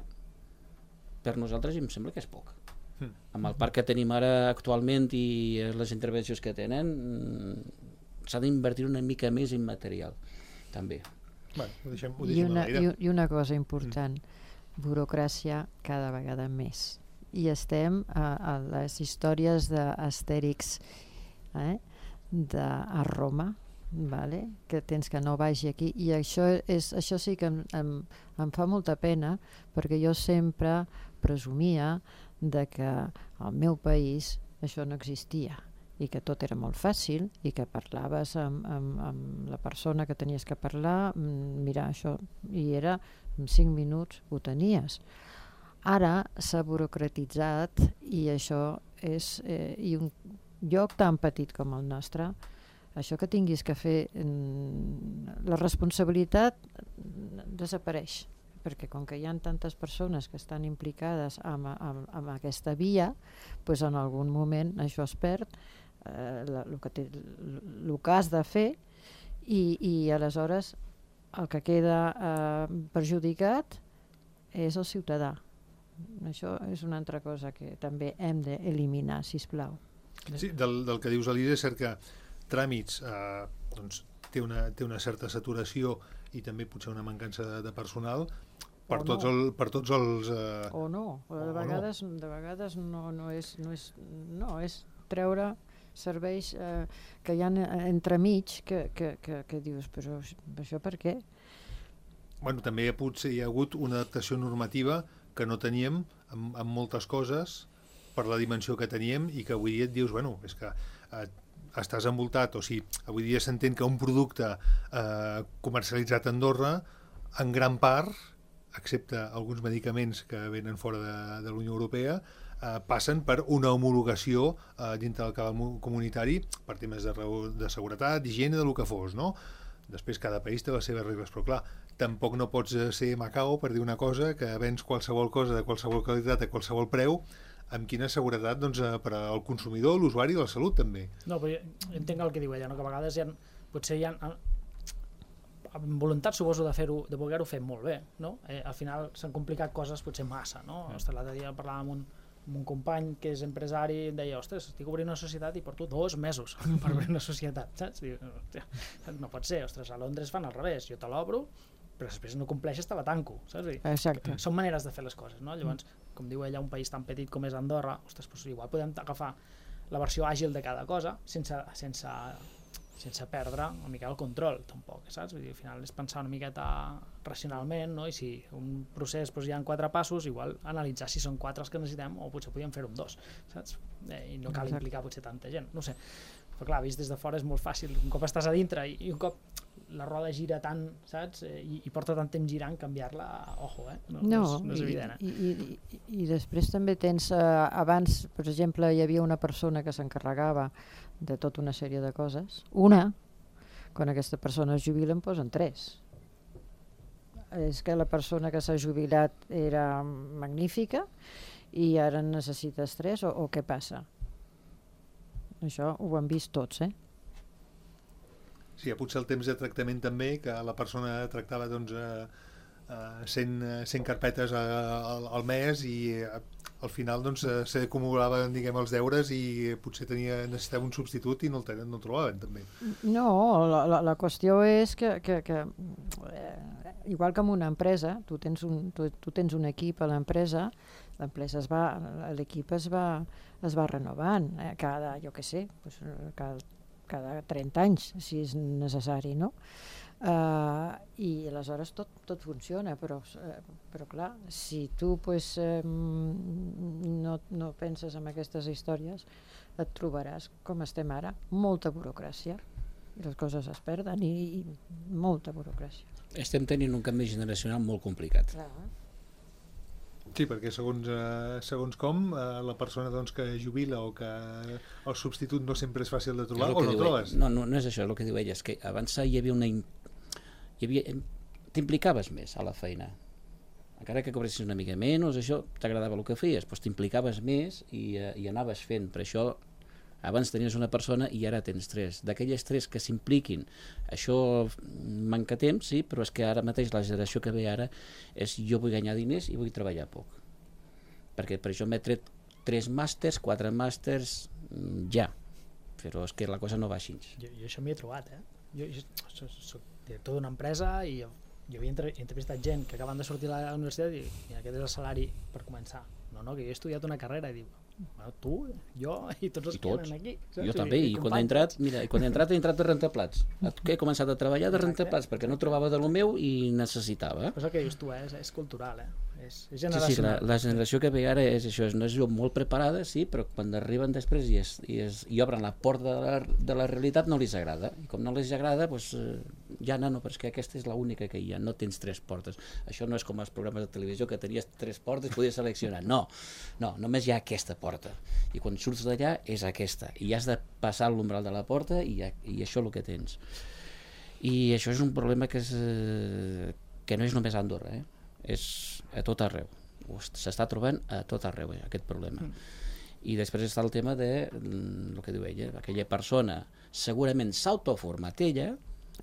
per nosaltres em sembla que és poc. Mm. Amb el parc que tenim ara actualment i les intervencions que tenen, s'ha d'invertir una mica més en material, també. Bueno, ho deixem, ho I deixem una, a l'aire. i, I una cosa important, mm. burocràcia cada vegada més. I estem a, a les històries d'Astèrix eh? de, a Roma, vale? Que tens que no vagi aquí, i això, és, això sí que em, em, em fa molta pena, perquè jo sempre presumia de que al meu país això no existia i que tot era molt fàcil i que parlaves amb, amb, amb la persona que tenies que parlar, mira això, i era en cinc minuts ho tenies. Ara s'ha burocratitzat i això és eh, i un lloc tan petit com el nostre, això que tinguis que fer, la responsabilitat desapareix, perquè com que hi ha tantes persones que estan implicades amb, amb, amb aquesta via, doncs en algun moment això es perd, eh, el que té, el que has de fer, i, i aleshores el que queda eh, perjudicat és el ciutadà. Això és una altra cosa que també hem d'eliminar, sisplau. Sí, del, del que dius, Elisa, és cert que tràmits eh, doncs, té, una, té una certa saturació i també potser una mancança de, de personal per, O tots, no. el, per tots els... Eh, O no, o de o vegades, de vegades no, no, és, no, és, no, és treure serveis eh, que hi ha entremig que, que, que, que dius, però això per què? bueno, també potser hi ha hagut una adaptació normativa que no teníem amb, amb moltes coses per la dimensió que teníem i que avui dia et dius, bueno, és que eh, estàs envoltat, o sigui, avui dia s'entén que un producte eh, comercialitzat a Andorra, en gran part, excepte alguns medicaments que venen fora de, de la Unió Europea, eh, passen per una homologació eh, dintre del cabal comunitari per temes de, de seguretat, d'higiene, de lo que fos, no? Després cada país té les seves regles, però clar, tampoc no pots ser Macao per dir una cosa que vens qualsevol cosa de qualsevol qualitat a qualsevol preu, amb quina seguretat doncs, per al consumidor, l'usuari i la salut també. No, però jo entenc el que diu ella, no? Que a vegades hi ha, potser hi ha amb voluntat suposo de fer-ho, de voler-ho fer molt bé, no? Eh, al final s'han complicat coses potser massa, no? Mm. Ostres, l'altre dia parlàvem amb un, amb un company que és empresari i em deia, ostres, estic obrint una societat i porto dos mesos per obrir una societat, saps? Diu, no pot ser, ostres, a Londres fan al revés, jo te l'obro, però després no compleixes te la tanco, saps? Exacte. Són maneres de fer les coses, no? Llavors, com diu ella, un país tan petit com és Andorra, ostres, doncs igual podem agafar la versió àgil de cada cosa sense, sense, sense perdre una mica el control, tampoc, saps? Vull dir, al final és pensar una miqueta racionalment, no? I si un procés doncs, hi ha quatre passos, igual analitzar si són quatre els que necessitem o potser podríem fer-ho amb dos, saps? Eh, I no cal Exacte. implicar potser tanta gent, no sé. Però clar, vist des de fora és molt fàcil, un cop estàs a dintre i, i un cop la roda gira tant, saps? I, i porta tant temps girant, canviar-la, ojo, eh? No, no, és, no és evident, eh? I, i, i, i després també tens, eh, abans, per exemple, hi havia una persona que s'encarregava de tota una sèrie de coses. Una, quan aquesta persona es jubila, en posen tres. És que la persona que s'ha jubilat era magnífica i ara en necessites tres, o, o què passa? Això ho han vist tots, eh? Sí, potser el temps de tractament també, que la persona tractava doncs, eh, eh, cent, cent carpetes a, a, al mes i eh, al final doncs, eh, s'acumulaven, diguem, els deures i potser tenia, necessitava un substitut i no el, tenen, no el trobaven també. No, la, la, la qüestió és que, que, que eh, igual que en una empresa, tu tens un, tu, tu tens un equip a l'empresa, l'empresa es va, l'equip es va, es va renovant, eh, cada, jo què sé, pues, cada, cada trenta anys, si és necessari, no? Uh, I aleshores tot, tot funciona, però, uh, però clar, si tu pues, uh, no, no penses en aquestes històries, et trobaràs, com estem ara, molta burocràcia. I les coses es perden i, i molta burocràcia. Estem tenint un canvi generacional molt complicat. Clar. Sí, perquè segons, eh, segons com, eh, la persona doncs, que jubila o que el substitut no sempre és fàcil de trobar, o no trobes? No, no, no és això, és el que diu ella, és que abans hi havia una... Hi havia... T'implicaves més a la feina. Encara que cobressis una mica menys, això t'agradava el que feies, doncs t'implicaves més i, eh, i anaves fent. Per això abans tenies una persona i ara tens tres. D'aquelles tres que s'impliquin, això manca temps, sí, però és que ara mateix la generació que ve ara és jo vull guanyar diners i vull treballar poc. Perquè per això m'he tret tres màsters, quatre màsters, ja. Però és que la cosa no va així. Jo, jo això m'hi he trobat, eh? Jo, jo soc, soc director d'una empresa i jo, jo havia entre, entrevistat gent que acaben de sortir a la universitat i, i aquest és el salari per començar. No, no, que jo he estudiat una carrera i diu, bueno, tu, jo i tots els I tots. que eren aquí. Saps? Jo també, i, i quan he entrat, mira, i quan he entrat he entrat de rentaplats. He començat a treballar de rentaplats perquè no trobava de lo meu i necessitava. Però és el que dius tu, eh? és, és cultural, eh? és, és Sí, generacional. sí, la, la generació que ve ara és això, és una generació molt preparada, sí, però quan arriben després i, es, i, es, i obren la porta de la, de la realitat no els agrada. I com no els agrada, doncs, eh, ja no, no, però és que aquesta és l'única que hi ha, no tens tres portes. Això no és com els programes de televisió que tenies tres portes i podies seleccionar. No, no, només hi ha aquesta porta. I quan surts d'allà és aquesta. I has de passar l'umbral de la porta i, i això és el que tens. I això és un problema que, és, eh, que no és només a Andorra, eh? És a tot arreu. S'està trobant a tot arreu, eh, aquest problema. Mm. I després està el tema de, el que diu ella, aquella persona segurament s'autoformat ella,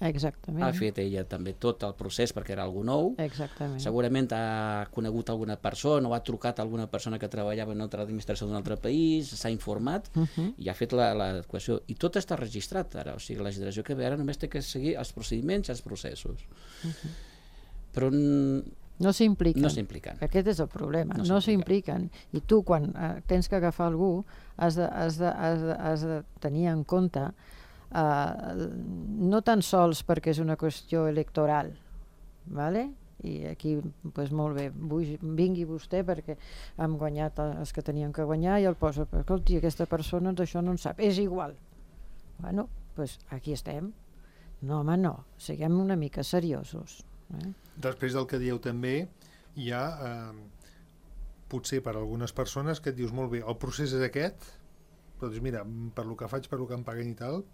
Exactament. ha fet ella també tot el procés perquè era algú nou, Exactament. segurament ha conegut alguna persona o ha trucat a alguna persona que treballava en una altra administració d'un altre país, s'ha informat Uh -huh. i ha fet l'adequació. I tot està registrat ara, o sigui, la generació que ve ara només té que seguir els procediments i els processos. Uh -huh. Però no s'impliquen. no s'impliquen. Aquest és el problema, No no s'impliquen. s'impliquen. I tu, quan eh, tens que agafar algú, has de, has de, has de, has de tenir en compte eh, no tan sols perquè és una qüestió electoral, ¿vale? I aquí, pues, molt bé, vull, vingui vostè perquè hem guanyat els que teníem que guanyar i el posa, però escolti, aquesta persona d'això no en sap, és igual. Bueno, pues aquí estem. No, home, no, siguem una mica seriosos. Eh? Després del que dieu també, hi ha, eh, potser per a algunes persones que et dius molt bé, el procés és aquest, però dius, mira, per lo que faig, per lo que em paguen i tal,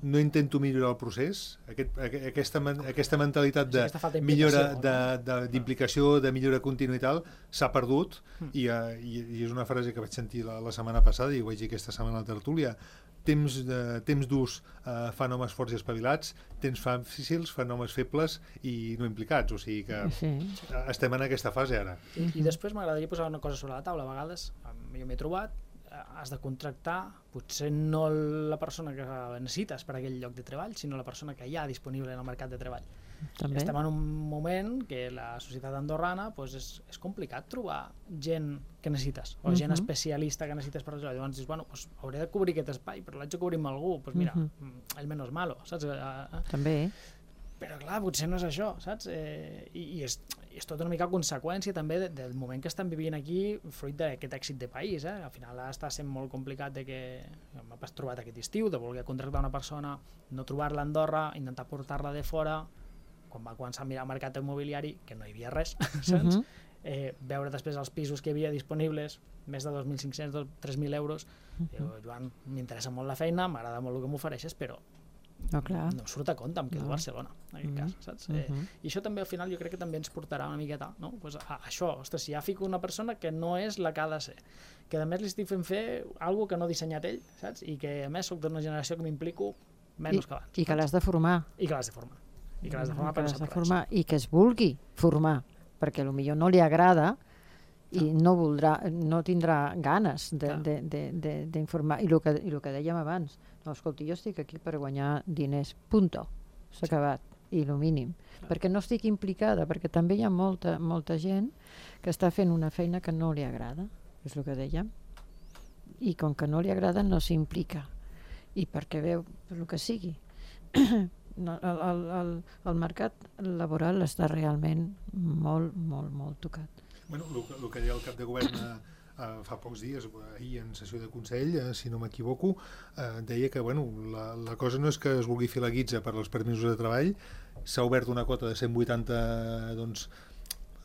no intento millorar el procés, aquest, aquesta, aquesta mentalitat de sí, millora, d'implicació, de, de millora contínua i tal, s'ha perdut, mm. i, i, i és una frase que vaig sentir la, la setmana passada i ho vaig dir aquesta setmana a la tertúlia. Temps, de, temps durs eh, fan homes forts i espavilats, temps fàcils fan homes febles i no implicats, o sigui que sí. estem en aquesta fase ara. I, i després m'agradaria posar una cosa sobre la taula. A vegades, jo m'he trobat, has de contractar potser no la persona que necessites per a aquell lloc de treball, sinó la persona que hi ha disponible en el mercat de treball. També. Estem en un moment que la societat andorrana pues, és, és complicat trobar gent que necessites, o uh -huh. gent especialista que necessites per això. Llavors dius, bueno, pues, hauré de cobrir aquest espai, però l'haig de cobrir amb algú, pues mira, uh -huh. el menos malo, saps? També. Però clar, potser no és això, saps? Eh, i, i, és, i és tota una mica conseqüència també de, del moment que estan vivint aquí, fruit d'aquest èxit de país, eh? Al final està sent molt complicat de que m'ha trobat aquest estiu, de voler contractar una persona, no trobar-la a Andorra, intentar portar-la de fora, quan va començar a mirar el mercat immobiliari, que no hi havia res, saps? Uh -huh. eh, veure després els pisos que hi havia disponibles, més de dos mil cinc-cents, tres mil euros, uh -huh. diu, Joan, m'interessa molt la feina, m'agrada molt el que m'ofereixes, però no, clar. no em surt a compte, em quedo no. a Barcelona, en aquest uh -huh. cas, saps? Uh -huh. eh, I això també al final jo crec que també ens portarà una miqueta, no? Pues a, a això, ostres, si ja fico una persona que no és la que ha de ser, que a més li estic fent fer alguna que no ha dissenyat ell, saps? I que a més soc d'una generació que m'implico menys I, que abans. I que l'has de formar. I que l'has de formar. I que l'has de formar, que l'has de formar i que es vulgui formar, perquè potser no li agrada i no voldrà, no tindrà ganes d'informar. I el que, i el que dèiem abans, no, escolti, jo estic aquí per guanyar diners, punto, s'ha acabat, i el mínim, clar. Perquè no estic implicada, perquè també hi ha molta, molta gent que està fent una feina que no li agrada, és el que dèiem, i com que no li agrada no s'implica, i perquè veu el que sigui. No, el, el, el, el mercat laboral està realment molt, molt, molt tocat. Bueno, el, el que deia el cap de govern eh, fa pocs dies, ahir en sessió de Consell, eh, si no m'equivoco, eh, deia que bueno, la, la cosa no és que es vulgui fer la guitza per als permisos de treball, s'ha obert una quota de cent vuitanta doncs,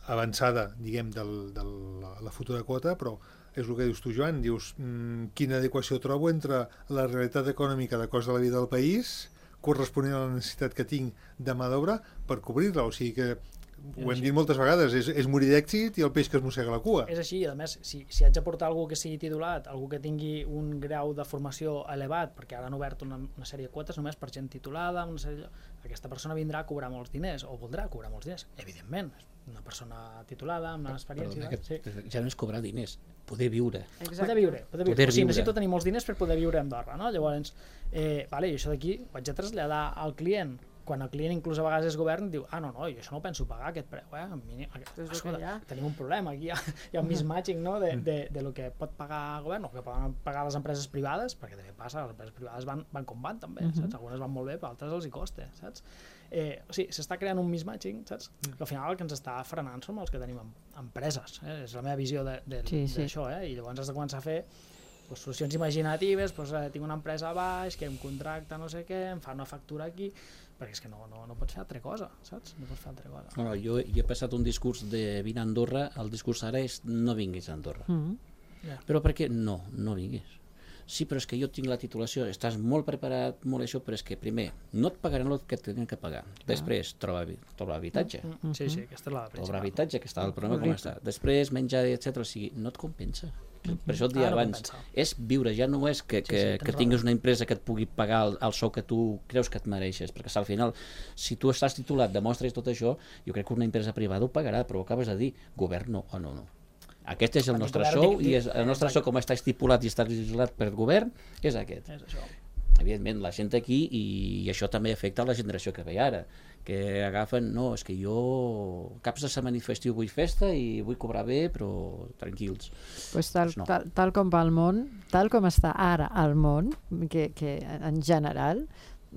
avançada, diguem, de la, la futura quota, però és el que dius tu, Joan, dius mmm, quina adequació trobo entre la realitat econòmica de cost de la vida del país corresponent a la necessitat que tinc de mà d'obra per cobrir-la, o sigui que ho hem dit moltes vegades, és, és morir d'èxit i el peix que es mossega la cua. És així, i a més, si, si haig de portar algú que sigui titulat, algú que tingui un grau de formació elevat, perquè ara han obert una, una sèrie de quotes només per gent titulada, una sèrie... aquesta persona vindrà a cobrar molts diners, o voldrà cobrar molts diners, evidentment, una persona titulada, amb una experiència... Perdona, sí. Ja no és cobrar diners, poder viure. Exacte. Poder viure, poder viure. Poder o sigui, viure. necessito tenir molts diners per poder viure a Andorra, no? Llavors, eh, vale, i això d'aquí ho haig de traslladar al client. Quan el client inclús a vegades és govern, diu, ah, no, no, jo això no ho penso pagar, aquest preu, eh? Mínim, escolta, tenim un problema, aquí hi ha, hi ha un mismatching, no?, de, de, de lo que pot pagar el govern o que poden pagar les empreses privades, perquè també passa, les empreses privades van, van com van també, uh-huh. saps? Algunes van molt bé, però altres els hi costa, saps? Eh, o sigui, s'està creant un mismatching, saps? Que al final el que ens està frenant són els que tenim empreses, eh? És la meva visió d'això, sí, sí. eh? I llavors has de començar a fer pues, solucions imaginatives, pues, eh, tinc una empresa a baix, que em contracta no sé què, em fa una factura aquí, perquè és que no, no, no pots fer altra cosa, saps? No pots fer altra cosa. No, jo, jo he passat un discurs de vine a Andorra, el discurs ara és no vinguis a Andorra. Mm-hmm. yeah. Però per què? No, no vinguis. Sí, però és que jo tinc la titulació, estàs molt preparat, molt això, però és que primer no et pagaran el que tenen que pagar. Després, trobar, trobar habitatge. Mm-hmm. Sí, sí, aquesta és la principal. Trobar habitatge, que està el problema com està. Després, menjar, etcètera. O sigui, no et compensa. Per això et dia ah, no abans, compensa. És viure, ja no és que, que, sí, sí, que tinguis una empresa que et pugui pagar el, el sou que tu creus que et mereixes, perquè al final, si tu estàs titulat, demostres tot això, jo crec que una empresa privada ho pagarà, però ho acabes de dir, govern no, o no, no. Aquest és el nostre sou, i és, el nostre sou, com està estipulat i està legislat per govern, és aquest. És això. Evidentment, la gent aquí, i, i això també afecta la generació que ve ara, que agafen, no, és que jo caps de setmana i festiu vull festa i vull cobrar bé, però tranquils. Pues tal, pues no. tal, tal com va el món, tal com està ara el món, que, que en general,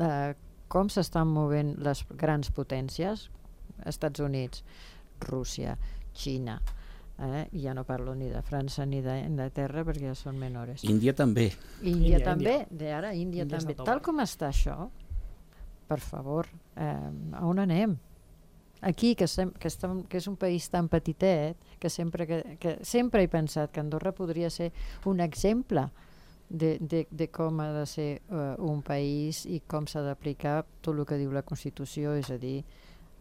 eh, com s'estan movent les grans potències, Estats Units, Rússia, Xina, eh? ja no parlo ni de França ni d'Anglaterra perquè ja són menores. Índia també. Índia, Índia també, de ara Índia, Índia també. Tal com està això, per favor, eh, a on anem? Aquí, que, sem que, estem, que és un país tan petitet, que sempre, que, que sempre he pensat que Andorra podria ser un exemple de, de, de com ha de ser uh, un país i com s'ha d'aplicar tot el que diu la Constitució, és a dir,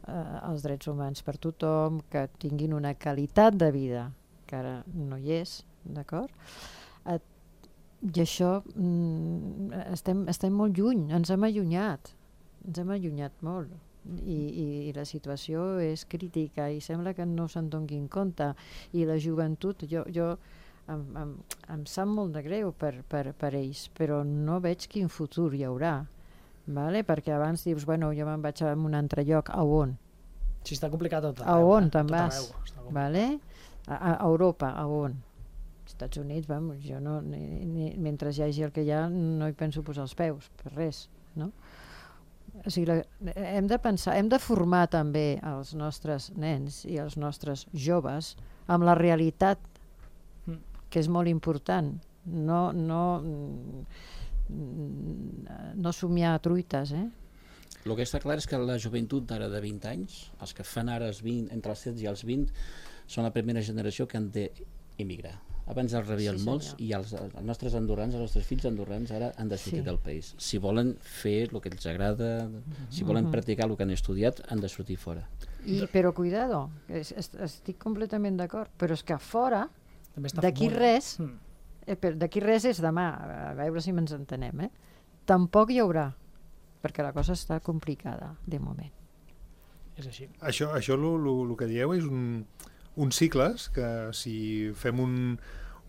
uh, els drets humans per tothom, que tinguin una qualitat de vida, que ara no hi és, d'acord? Uh, I això mm, estem, estem molt lluny, ens hem allunyat, ens hem allunyat molt. I, i, i la situació és crítica i sembla que no se'n donin compte, i la joventut, jo, jo em, em, em sap molt de greu per, per, per ells, però no veig quin futur hi haurà, vale? Perquè abans dius, bueno, jo me'n vaig a un altre lloc, a on? Sí, està complicat tot A arreu. on eh? te'n Tot vas? arreu, està complicat. Vale? A, a Europa, a on? Estats Units, vamos, jo no, ni, ni, mentre hi hagi el que hi ha no hi penso posar els peus, per res, no? O sigui, la, hem de pensar, hem de formar també els nostres nens i els nostres joves amb la realitat, Mm. que és molt important. No, no, no somiar truites, eh? El que està clar és que la joventut d'ara de vint anys, els que fan ara els vint, entre els setze i els vint, són la primera generació que han d'emigrar. Abans els rebien Sí, molts senyor. i els, els nostres andorrans, els nostres fills andorrans ara han de sortir Sí. del país. Si volen fer el que els agrada, si volen Mhm. practicar el que han estudiat, han de sortir fora. I, però cuidado, es, es, estic completament d'acord, però és que fora, També està d'aquí molt- res, Mm. eh, però d'aquí res és demà, a veure si ens entenem, eh? Tampoc hi haurà, perquè la cosa està complicada, de moment. És així. Això, això el que dieu és un, uns cicles que si fem un,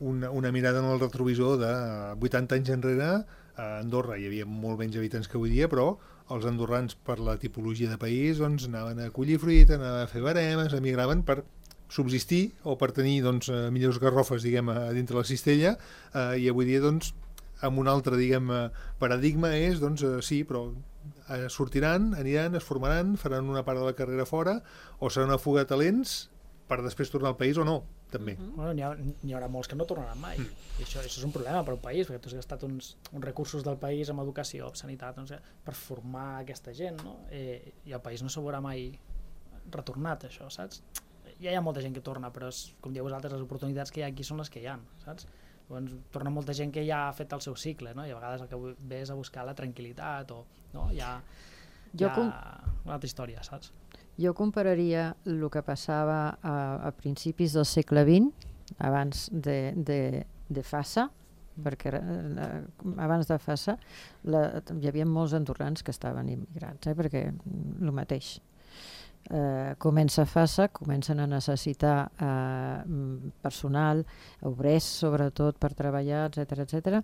una, una mirada en el retrovisor de vuitanta anys enrere, a Andorra hi havia molt menys habitants que avui dia, però els andorrans, per la tipologia de país, doncs, anaven a collir fruita, anaven a fer baremes, emigraven per subsistir o per tenir doncs, eh, millors garrofes, diguem, a dintre la cistella, eh, i avui dia, doncs, amb un altre, diguem, eh, paradigma és, doncs, eh, sí, però eh, sortiran, aniran, es formaran, faran una part de la carrera fora, o serà una fuga de talents per després tornar al país o no, també. Mm. Bueno, n'hi ha, n'hi haurà molts que no tornaran mai. Mm. I això, això és un problema per un país, perquè tu has gastat uns, uns recursos del país en educació, en sanitat, no sé, per formar aquesta gent, no? Eh, i el país no s'ho veurà mai retornat, això, saps? Ja hi ha molta gent que torna, però és, com dieu vosaltres, les oportunitats que hi ha aquí són les que hi ha, saps? Llavors, torna molta gent que ja ha fet el seu cicle, no? I a vegades el que ve és a buscar la tranquil·litat o, no? Ja, Jo ja com- una altra història, saps? Jo compararia el que passava a, a principis del segle vint, abans de, de, de Fassa, perquè eh, abans de Fassa la, hi havia molts andorrans que estaven immigrats, eh, perquè el mateix. Eh, comença Fassa, comencen a necessitar eh, personal, obrers sobretot per treballar, etcètera, etcètera.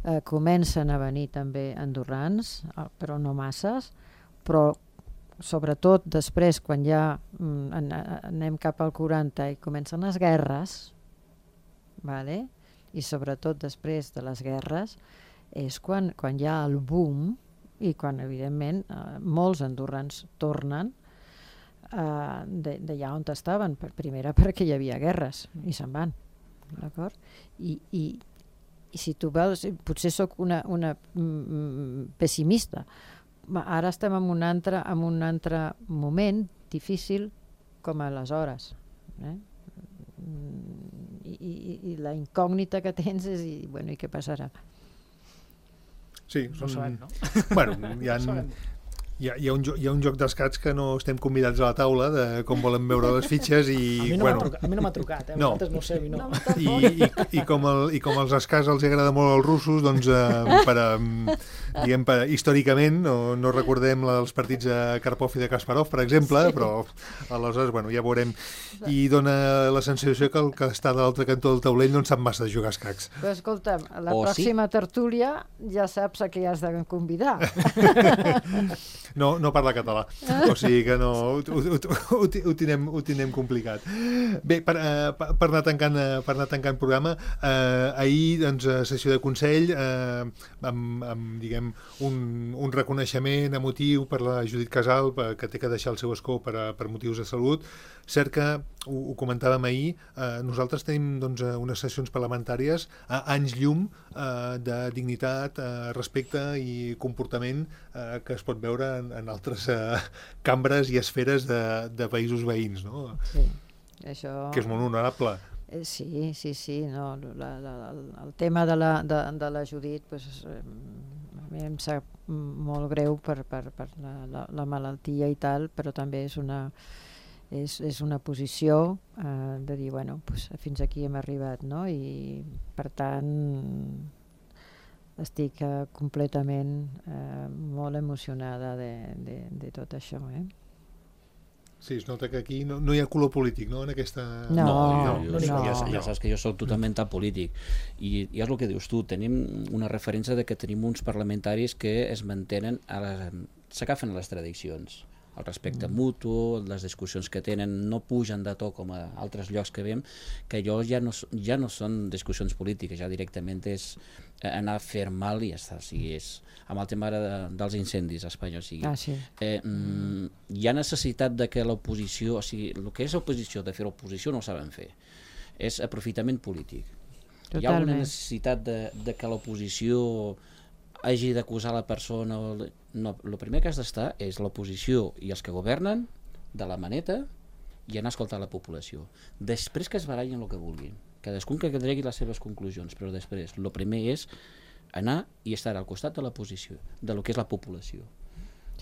Eh, comencen a venir també andorrans, eh, però no masses, però sobretot després, quan ja mm, an anem cap al quaranta i comencen les guerres, vale? I sobretot després de les guerres, és quan, quan hi ha el boom i quan, evidentment, eh, molts andorrans tornen eh, d'allà on estaven. Per primera perquè hi havia guerres i se'n van, d'acord? I, i, I si tu veus, potser sóc una, una mm, pessimista, ma ara estem en un altre, en un altre moment difícil com aleshores, eh? I, i, i la incògnita que tens és i, bueno, i què passarà? Sí, No ho sabem, no? Bueno, hi ha, No ho sabem. hi ha, hi ha, un, jo- hi ha un joc d'escacs que no estem convidats a la taula de com volen veure les fitxes A i, mi no m'ha bueno, trucat, a mi no m'ha trucat, eh? No. Vosaltres no ho sé, a mi no. i, i, i, com el, i com els escacs els agrada molt als russos, doncs eh, per, eh, diguem, per, històricament no, no recordem la dels partits de Karpov i de Kasparov, per exemple, Sí. però aleshores, bueno, ja veurem. I dona la sensació que el que està de l'altre cantó del taulell no en sap massa de jugar a escacs. Però escolta'm, la O sí. pròxima tertúlia ja saps a què has de convidar. No, no parla català, o sigui que no, ho, ho, ho, ho, ho, tinem, ho tinem complicat. Bé, per, eh, per, per, anar tancant, eh, per anar tancant programa, eh, ahir, doncs, a sessió de Consell, eh, amb, amb diguem, un, un reconeixement emotiu per la Judit Casal, per, que té que deixar el seu escó per, a, per motius de salut. Cert que, ho, ho comentàvem ahir, eh, nosaltres tenim doncs, unes sessions parlamentàries a anys llum eh, de dignitat, eh, respecte i comportament eh, que es pot veure en, en altres eh, cambres i esferes de, de països veïns, no? Sí, això... Que és molt honorable. Eh, sí, sí, sí. No, la, la, el, el tema de la, de, de la Judit, pues, eh, a mi em sap molt greu per, per, per la, la, la malaltia i tal, però també és una, és, és una posició eh, de dir, bueno, pues, fins aquí hem arribat, no? I per tant estic eh, completament eh, molt emocionada de, de, de tot això, eh? Sí, es nota que aquí no, no hi ha color polític, no?, en aquesta... No, no, jo, jo, no. Ja, ja saps que jo soc totalment apolític i, i és el que dius tu, tenim una referència de que tenim uns parlamentaris que es mantenen, s'agafen a les tradicions, el respecte mm. mutu, les discussions que tenen no pugen de to com a altres llocs que veiem, que allò ja no, ja no són discussions polítiques, ja directament és anar a fer mal i ja està, o sigui, és amb el tema de, dels incendis a Espanya, o sigui, ah, sí. eh, mm, hi ha necessitat de que l'oposició, o sigui, el que és oposició, de fer oposició no ho saben fer, és aprofitament polític. Totalment. Hi ha una necessitat de, de que l'oposició hagi d'acusar la persona, no, el primer que has d'estar és l'oposició i els que governen de la maneta i anar a escoltar la població. Després que es barallin el que vulguin, cadascun que tregui les seves conclusions, però després, el primer és anar i estar al costat de la posició, de lo que és la població.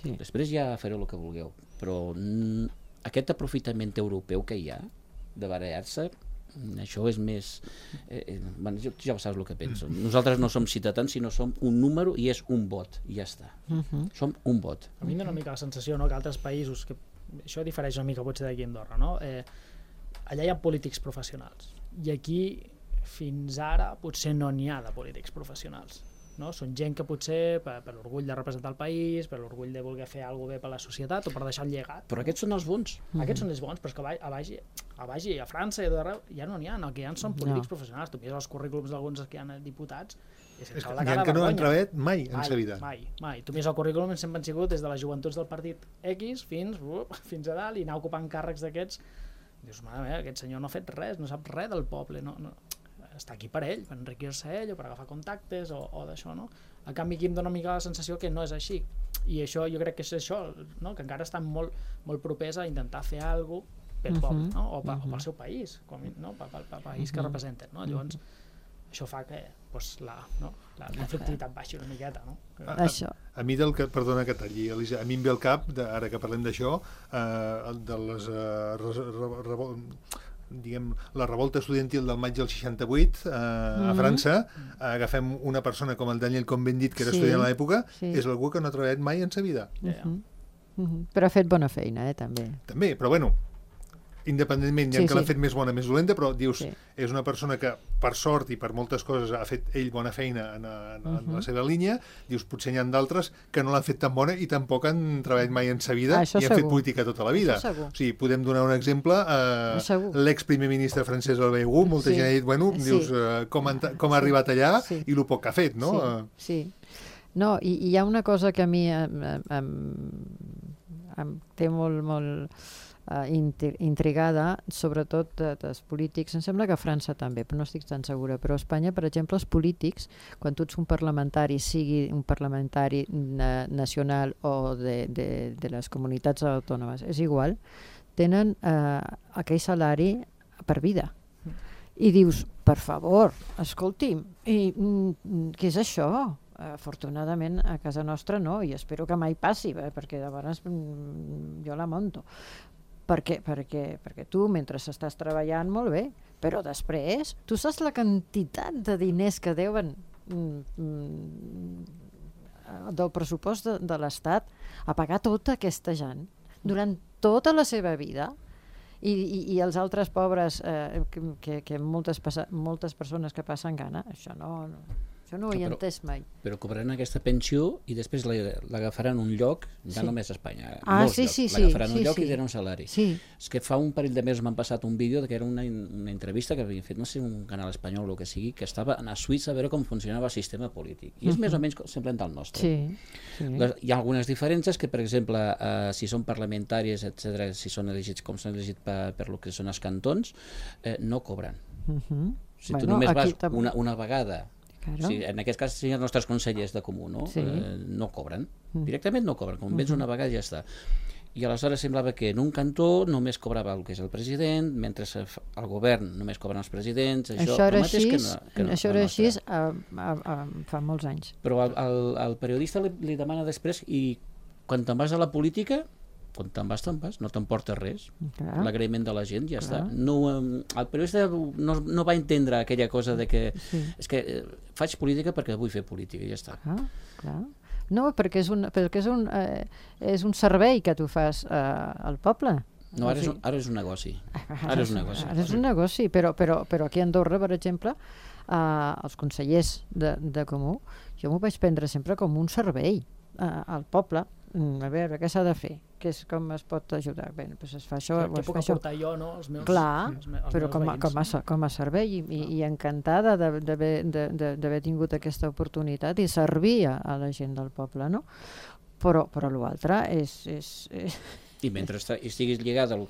Sí. Després ja fareu el que vulgueu, però mm, aquest aprofitament europeu que hi ha de barallar-se, això és més... Eh, eh, bueno, ja saps el que penso. Nosaltres no som ciutadans, sinó som un número i és un vot, i ja està. Uh-huh. Som un vot. A mi em dona una mica la sensació, no?, que altres països, que això difereix una mica potser d'aquí a Andorra, no? Eh, allà hi ha polítics professionals, i aquí fins ara potser no n'hi ha de polítics professionals, no? Són gent que potser per, per l'orgull de representar el país, per l'orgull de voler fer alguna cosa bé per la societat o per deixar el llegat. Però aquests són els bons. Mm-hmm. Aquests són els bons, però és que a baix, a, baix, a França i a d'arreu ja no n'hi ha, el que hi ha són polítics no. professionals. Tu mires els currículums d'alguns que hi ha diputats i és que hi ha que no han treballat mai en sa vida. Mai, mai. Tu mires el currículum i sempre han sigut des de les joventuts del partit X fins, uh, fins a dalt i anar ocupant càrrecs d'aquests. Dius, mare meva, aquest senyor no ha fet res, no sap res del poble, no, no. Està aquí per ell, per enriquir-se ell o per agafar contactes o, o d'això, no? A canvi aquí em dona una mica la sensació que no és així, i això jo crec que és això, no? Que encara estan molt, molt propers a intentar fer alguna cosa pel poble, no? O, pa, o pel seu país, com, no? Pel, pel, pel país que representen, no? Llavors això fa que pues, la, no? la conflictivitat baixi una miqueta, no? A, a, a mi del que, perdona que talli, Elisa, a mi em ve al cap, de, ara que parlem d'això, eh, de les eh, re, re, re, diguem, la revolta estudiantil del maig del seixanta-vuit eh, mm-hmm. a França, agafem una persona com el Daniel Cohn-Bendit, que era sí, estudiant a l'època, sí. és algú que no ha treballat mai en sa vida. Mm-hmm. Mm-hmm. Però ha fet bona feina, eh, també. També, però bueno, independentment, hi ha sí, que sí. l'ha fet més bona, més dolenta, però dius, sí. és una persona que per sort i per moltes coses ha fet ell bona feina en, en, en uh-huh. la seva línia, dius, potser n'hi ha d'altres que no l'han fet tan bona i tampoc han treballat mai en sa vida ah, i han segur. fet política tota la vida. O sigui, podem donar un exemple, eh, l'ex-primer ministre francès Albert Hugo, molta sí. gent ha dit, bueno, sí. dius, eh, com, han, com ha arribat allà sí. i el poc que ha fet, no? Sí, sí. No, i, i hi ha una cosa que a mi em, em, em té molt, molt Uh, intrigada, sobretot de, dels polítics. Em sembla que a França també, però no estic tan segura. Però a Espanya, per exemple, els polítics, quan tu ets un parlamentari, sigui un parlamentari na nacional o de, de, de les comunitats autònomes, és igual, tenen uh, aquell salari per vida. I dius, per favor, escolti'm, i, mm, què és això? Afortunadament a casa nostra no, i espero que mai passi, eh, perquè de vegades mm, jo la monto. Perquè, perquè, perquè tu, mentre estàs treballant, molt bé, però després, tu saps la quantitat de diners que deuen mm, del pressupost de, de l'Estat a pagar tota aquesta gent durant tota la seva vida i, i, i els altres pobres eh, que, que moltes, moltes persones que passen gana, això no... no això no ho he entès mai. Però cobraran aquesta pensió i després l'agafaran un lloc, ja sí. només a Espanya, ah, molts sí, llocs, sí, l'agafaran sí, un lloc sí. i tenen un salari. Sí. És que fa un parell de mesos m'han passat un vídeo que era una, una entrevista que havien fet, no sé, un canal espanyol o el que sigui, que estava a Suïssa a veure com funcionava el sistema polític. I és uh-huh. més o menys semblant al nostre. Sí. Sí. Les, hi ha algunes diferències que, per exemple, eh, si són parlamentaris, etcètera, si són elegits com són elegits per, per lo que són els cantons, eh, no cobren. Uh-huh. Si bueno, tu només vas una, una vegada... Claro. Sí, en aquest cas sí, els nostres consellers de comú no, sí. eh, no cobren, mm. directament no cobren, com mm-hmm. vens una vegada ja està. I aleshores semblava que en un cantó només cobrava el que és el president, mentre el govern només cobren els presidents. Això, això era així, que no, que no, això era així a, a, a, fa molts anys. Però el, el, el periodista li, li demana després, i quan te'n vas a la política, quan te'n vas, te'n vas, no t'emportes res. L'agraïment de la gent, ja clar. Està. No, el periodista no, no va entendre aquella cosa de que sí. És que eh, faig política perquè vull fer política, i ja està. Clar, clar. No, perquè és un, perquè és un, eh, és un servei que tu fas eh, al poble. No, ara, o sigui, és un, ara és un negoci. Ara és un negoci. Ara és un negoci, però, però, però aquí a Andorra, per exemple, eh, els consellers de, de Comú, jo m'ho vaig prendre sempre com un servei eh, al poble. A veure, què s'ha de fer? Què és, com es pot ajudar? Bé, doncs es fa això... Clar, què puc aportar jo, no? Els meus, clar, els meus, els però meus com a, veïns, com, a, com a servei i, i, i encantada d'haver tingut aquesta oportunitat i servir a, a la gent del poble, no? Però, però l'altre és... és, és... I mentre estiguis lligat al,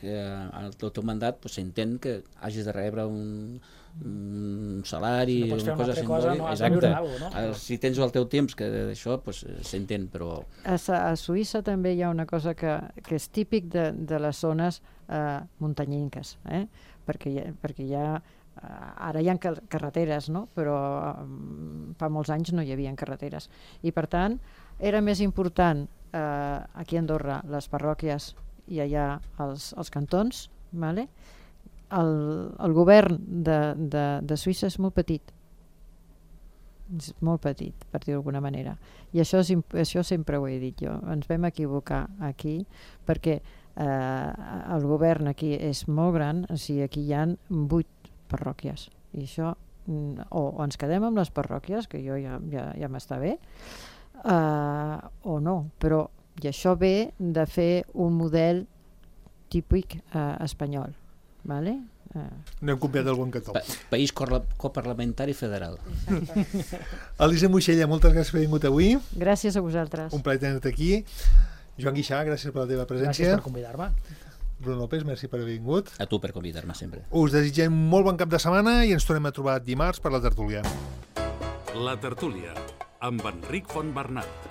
al teu mandat, pues, s'entén que hagis de rebre un, un salari, si no una cosa simbòlica. No, exacte. Alguna, no? Si tens el teu temps que d'això, pues, s'entén, però... A, a Suïssa també hi ha una cosa que, que és típic de, de les zones eh, muntanyenques, eh? perquè, hi ha, perquè hi ha ara hi ha carreteres, no? Però um, fa molts anys no hi havia carreteres. I per tant, era més important eh, aquí a Andorra les parròquies i allà els, els cantons, vale? el, el govern de, de, de Suïssa és molt petit. És molt petit, per dir d'alguna manera. I això, és, això sempre ho he dit jo. Ens vam equivocar aquí perquè eh, el govern aquí és molt gran, o sigui, aquí hi ha vuit parròquies. I això, o, o ens quedem amb les parròquies, que jo ja, ja, ja m'està bé, eh, o no. Però i això ve de fer un model típic eh, espanyol. Vale? Eh. No hem copiat el bon cató. Pa país coparlamentari federal. Elisa Moixella, moltes gràcies per haver vingut avui. Gràcies a vosaltres. Un plaer tenir-te aquí. Joan Guixà, gràcies per la teva presència. Gràcies per convidar-me. Bruno López, merci per haver vingut. A tu per convidar-me sempre. Us desitgem molt bon cap de setmana i ens tornem a trobar dimarts per la tertúlia. La tertúlia, amb Enric Fontbernat.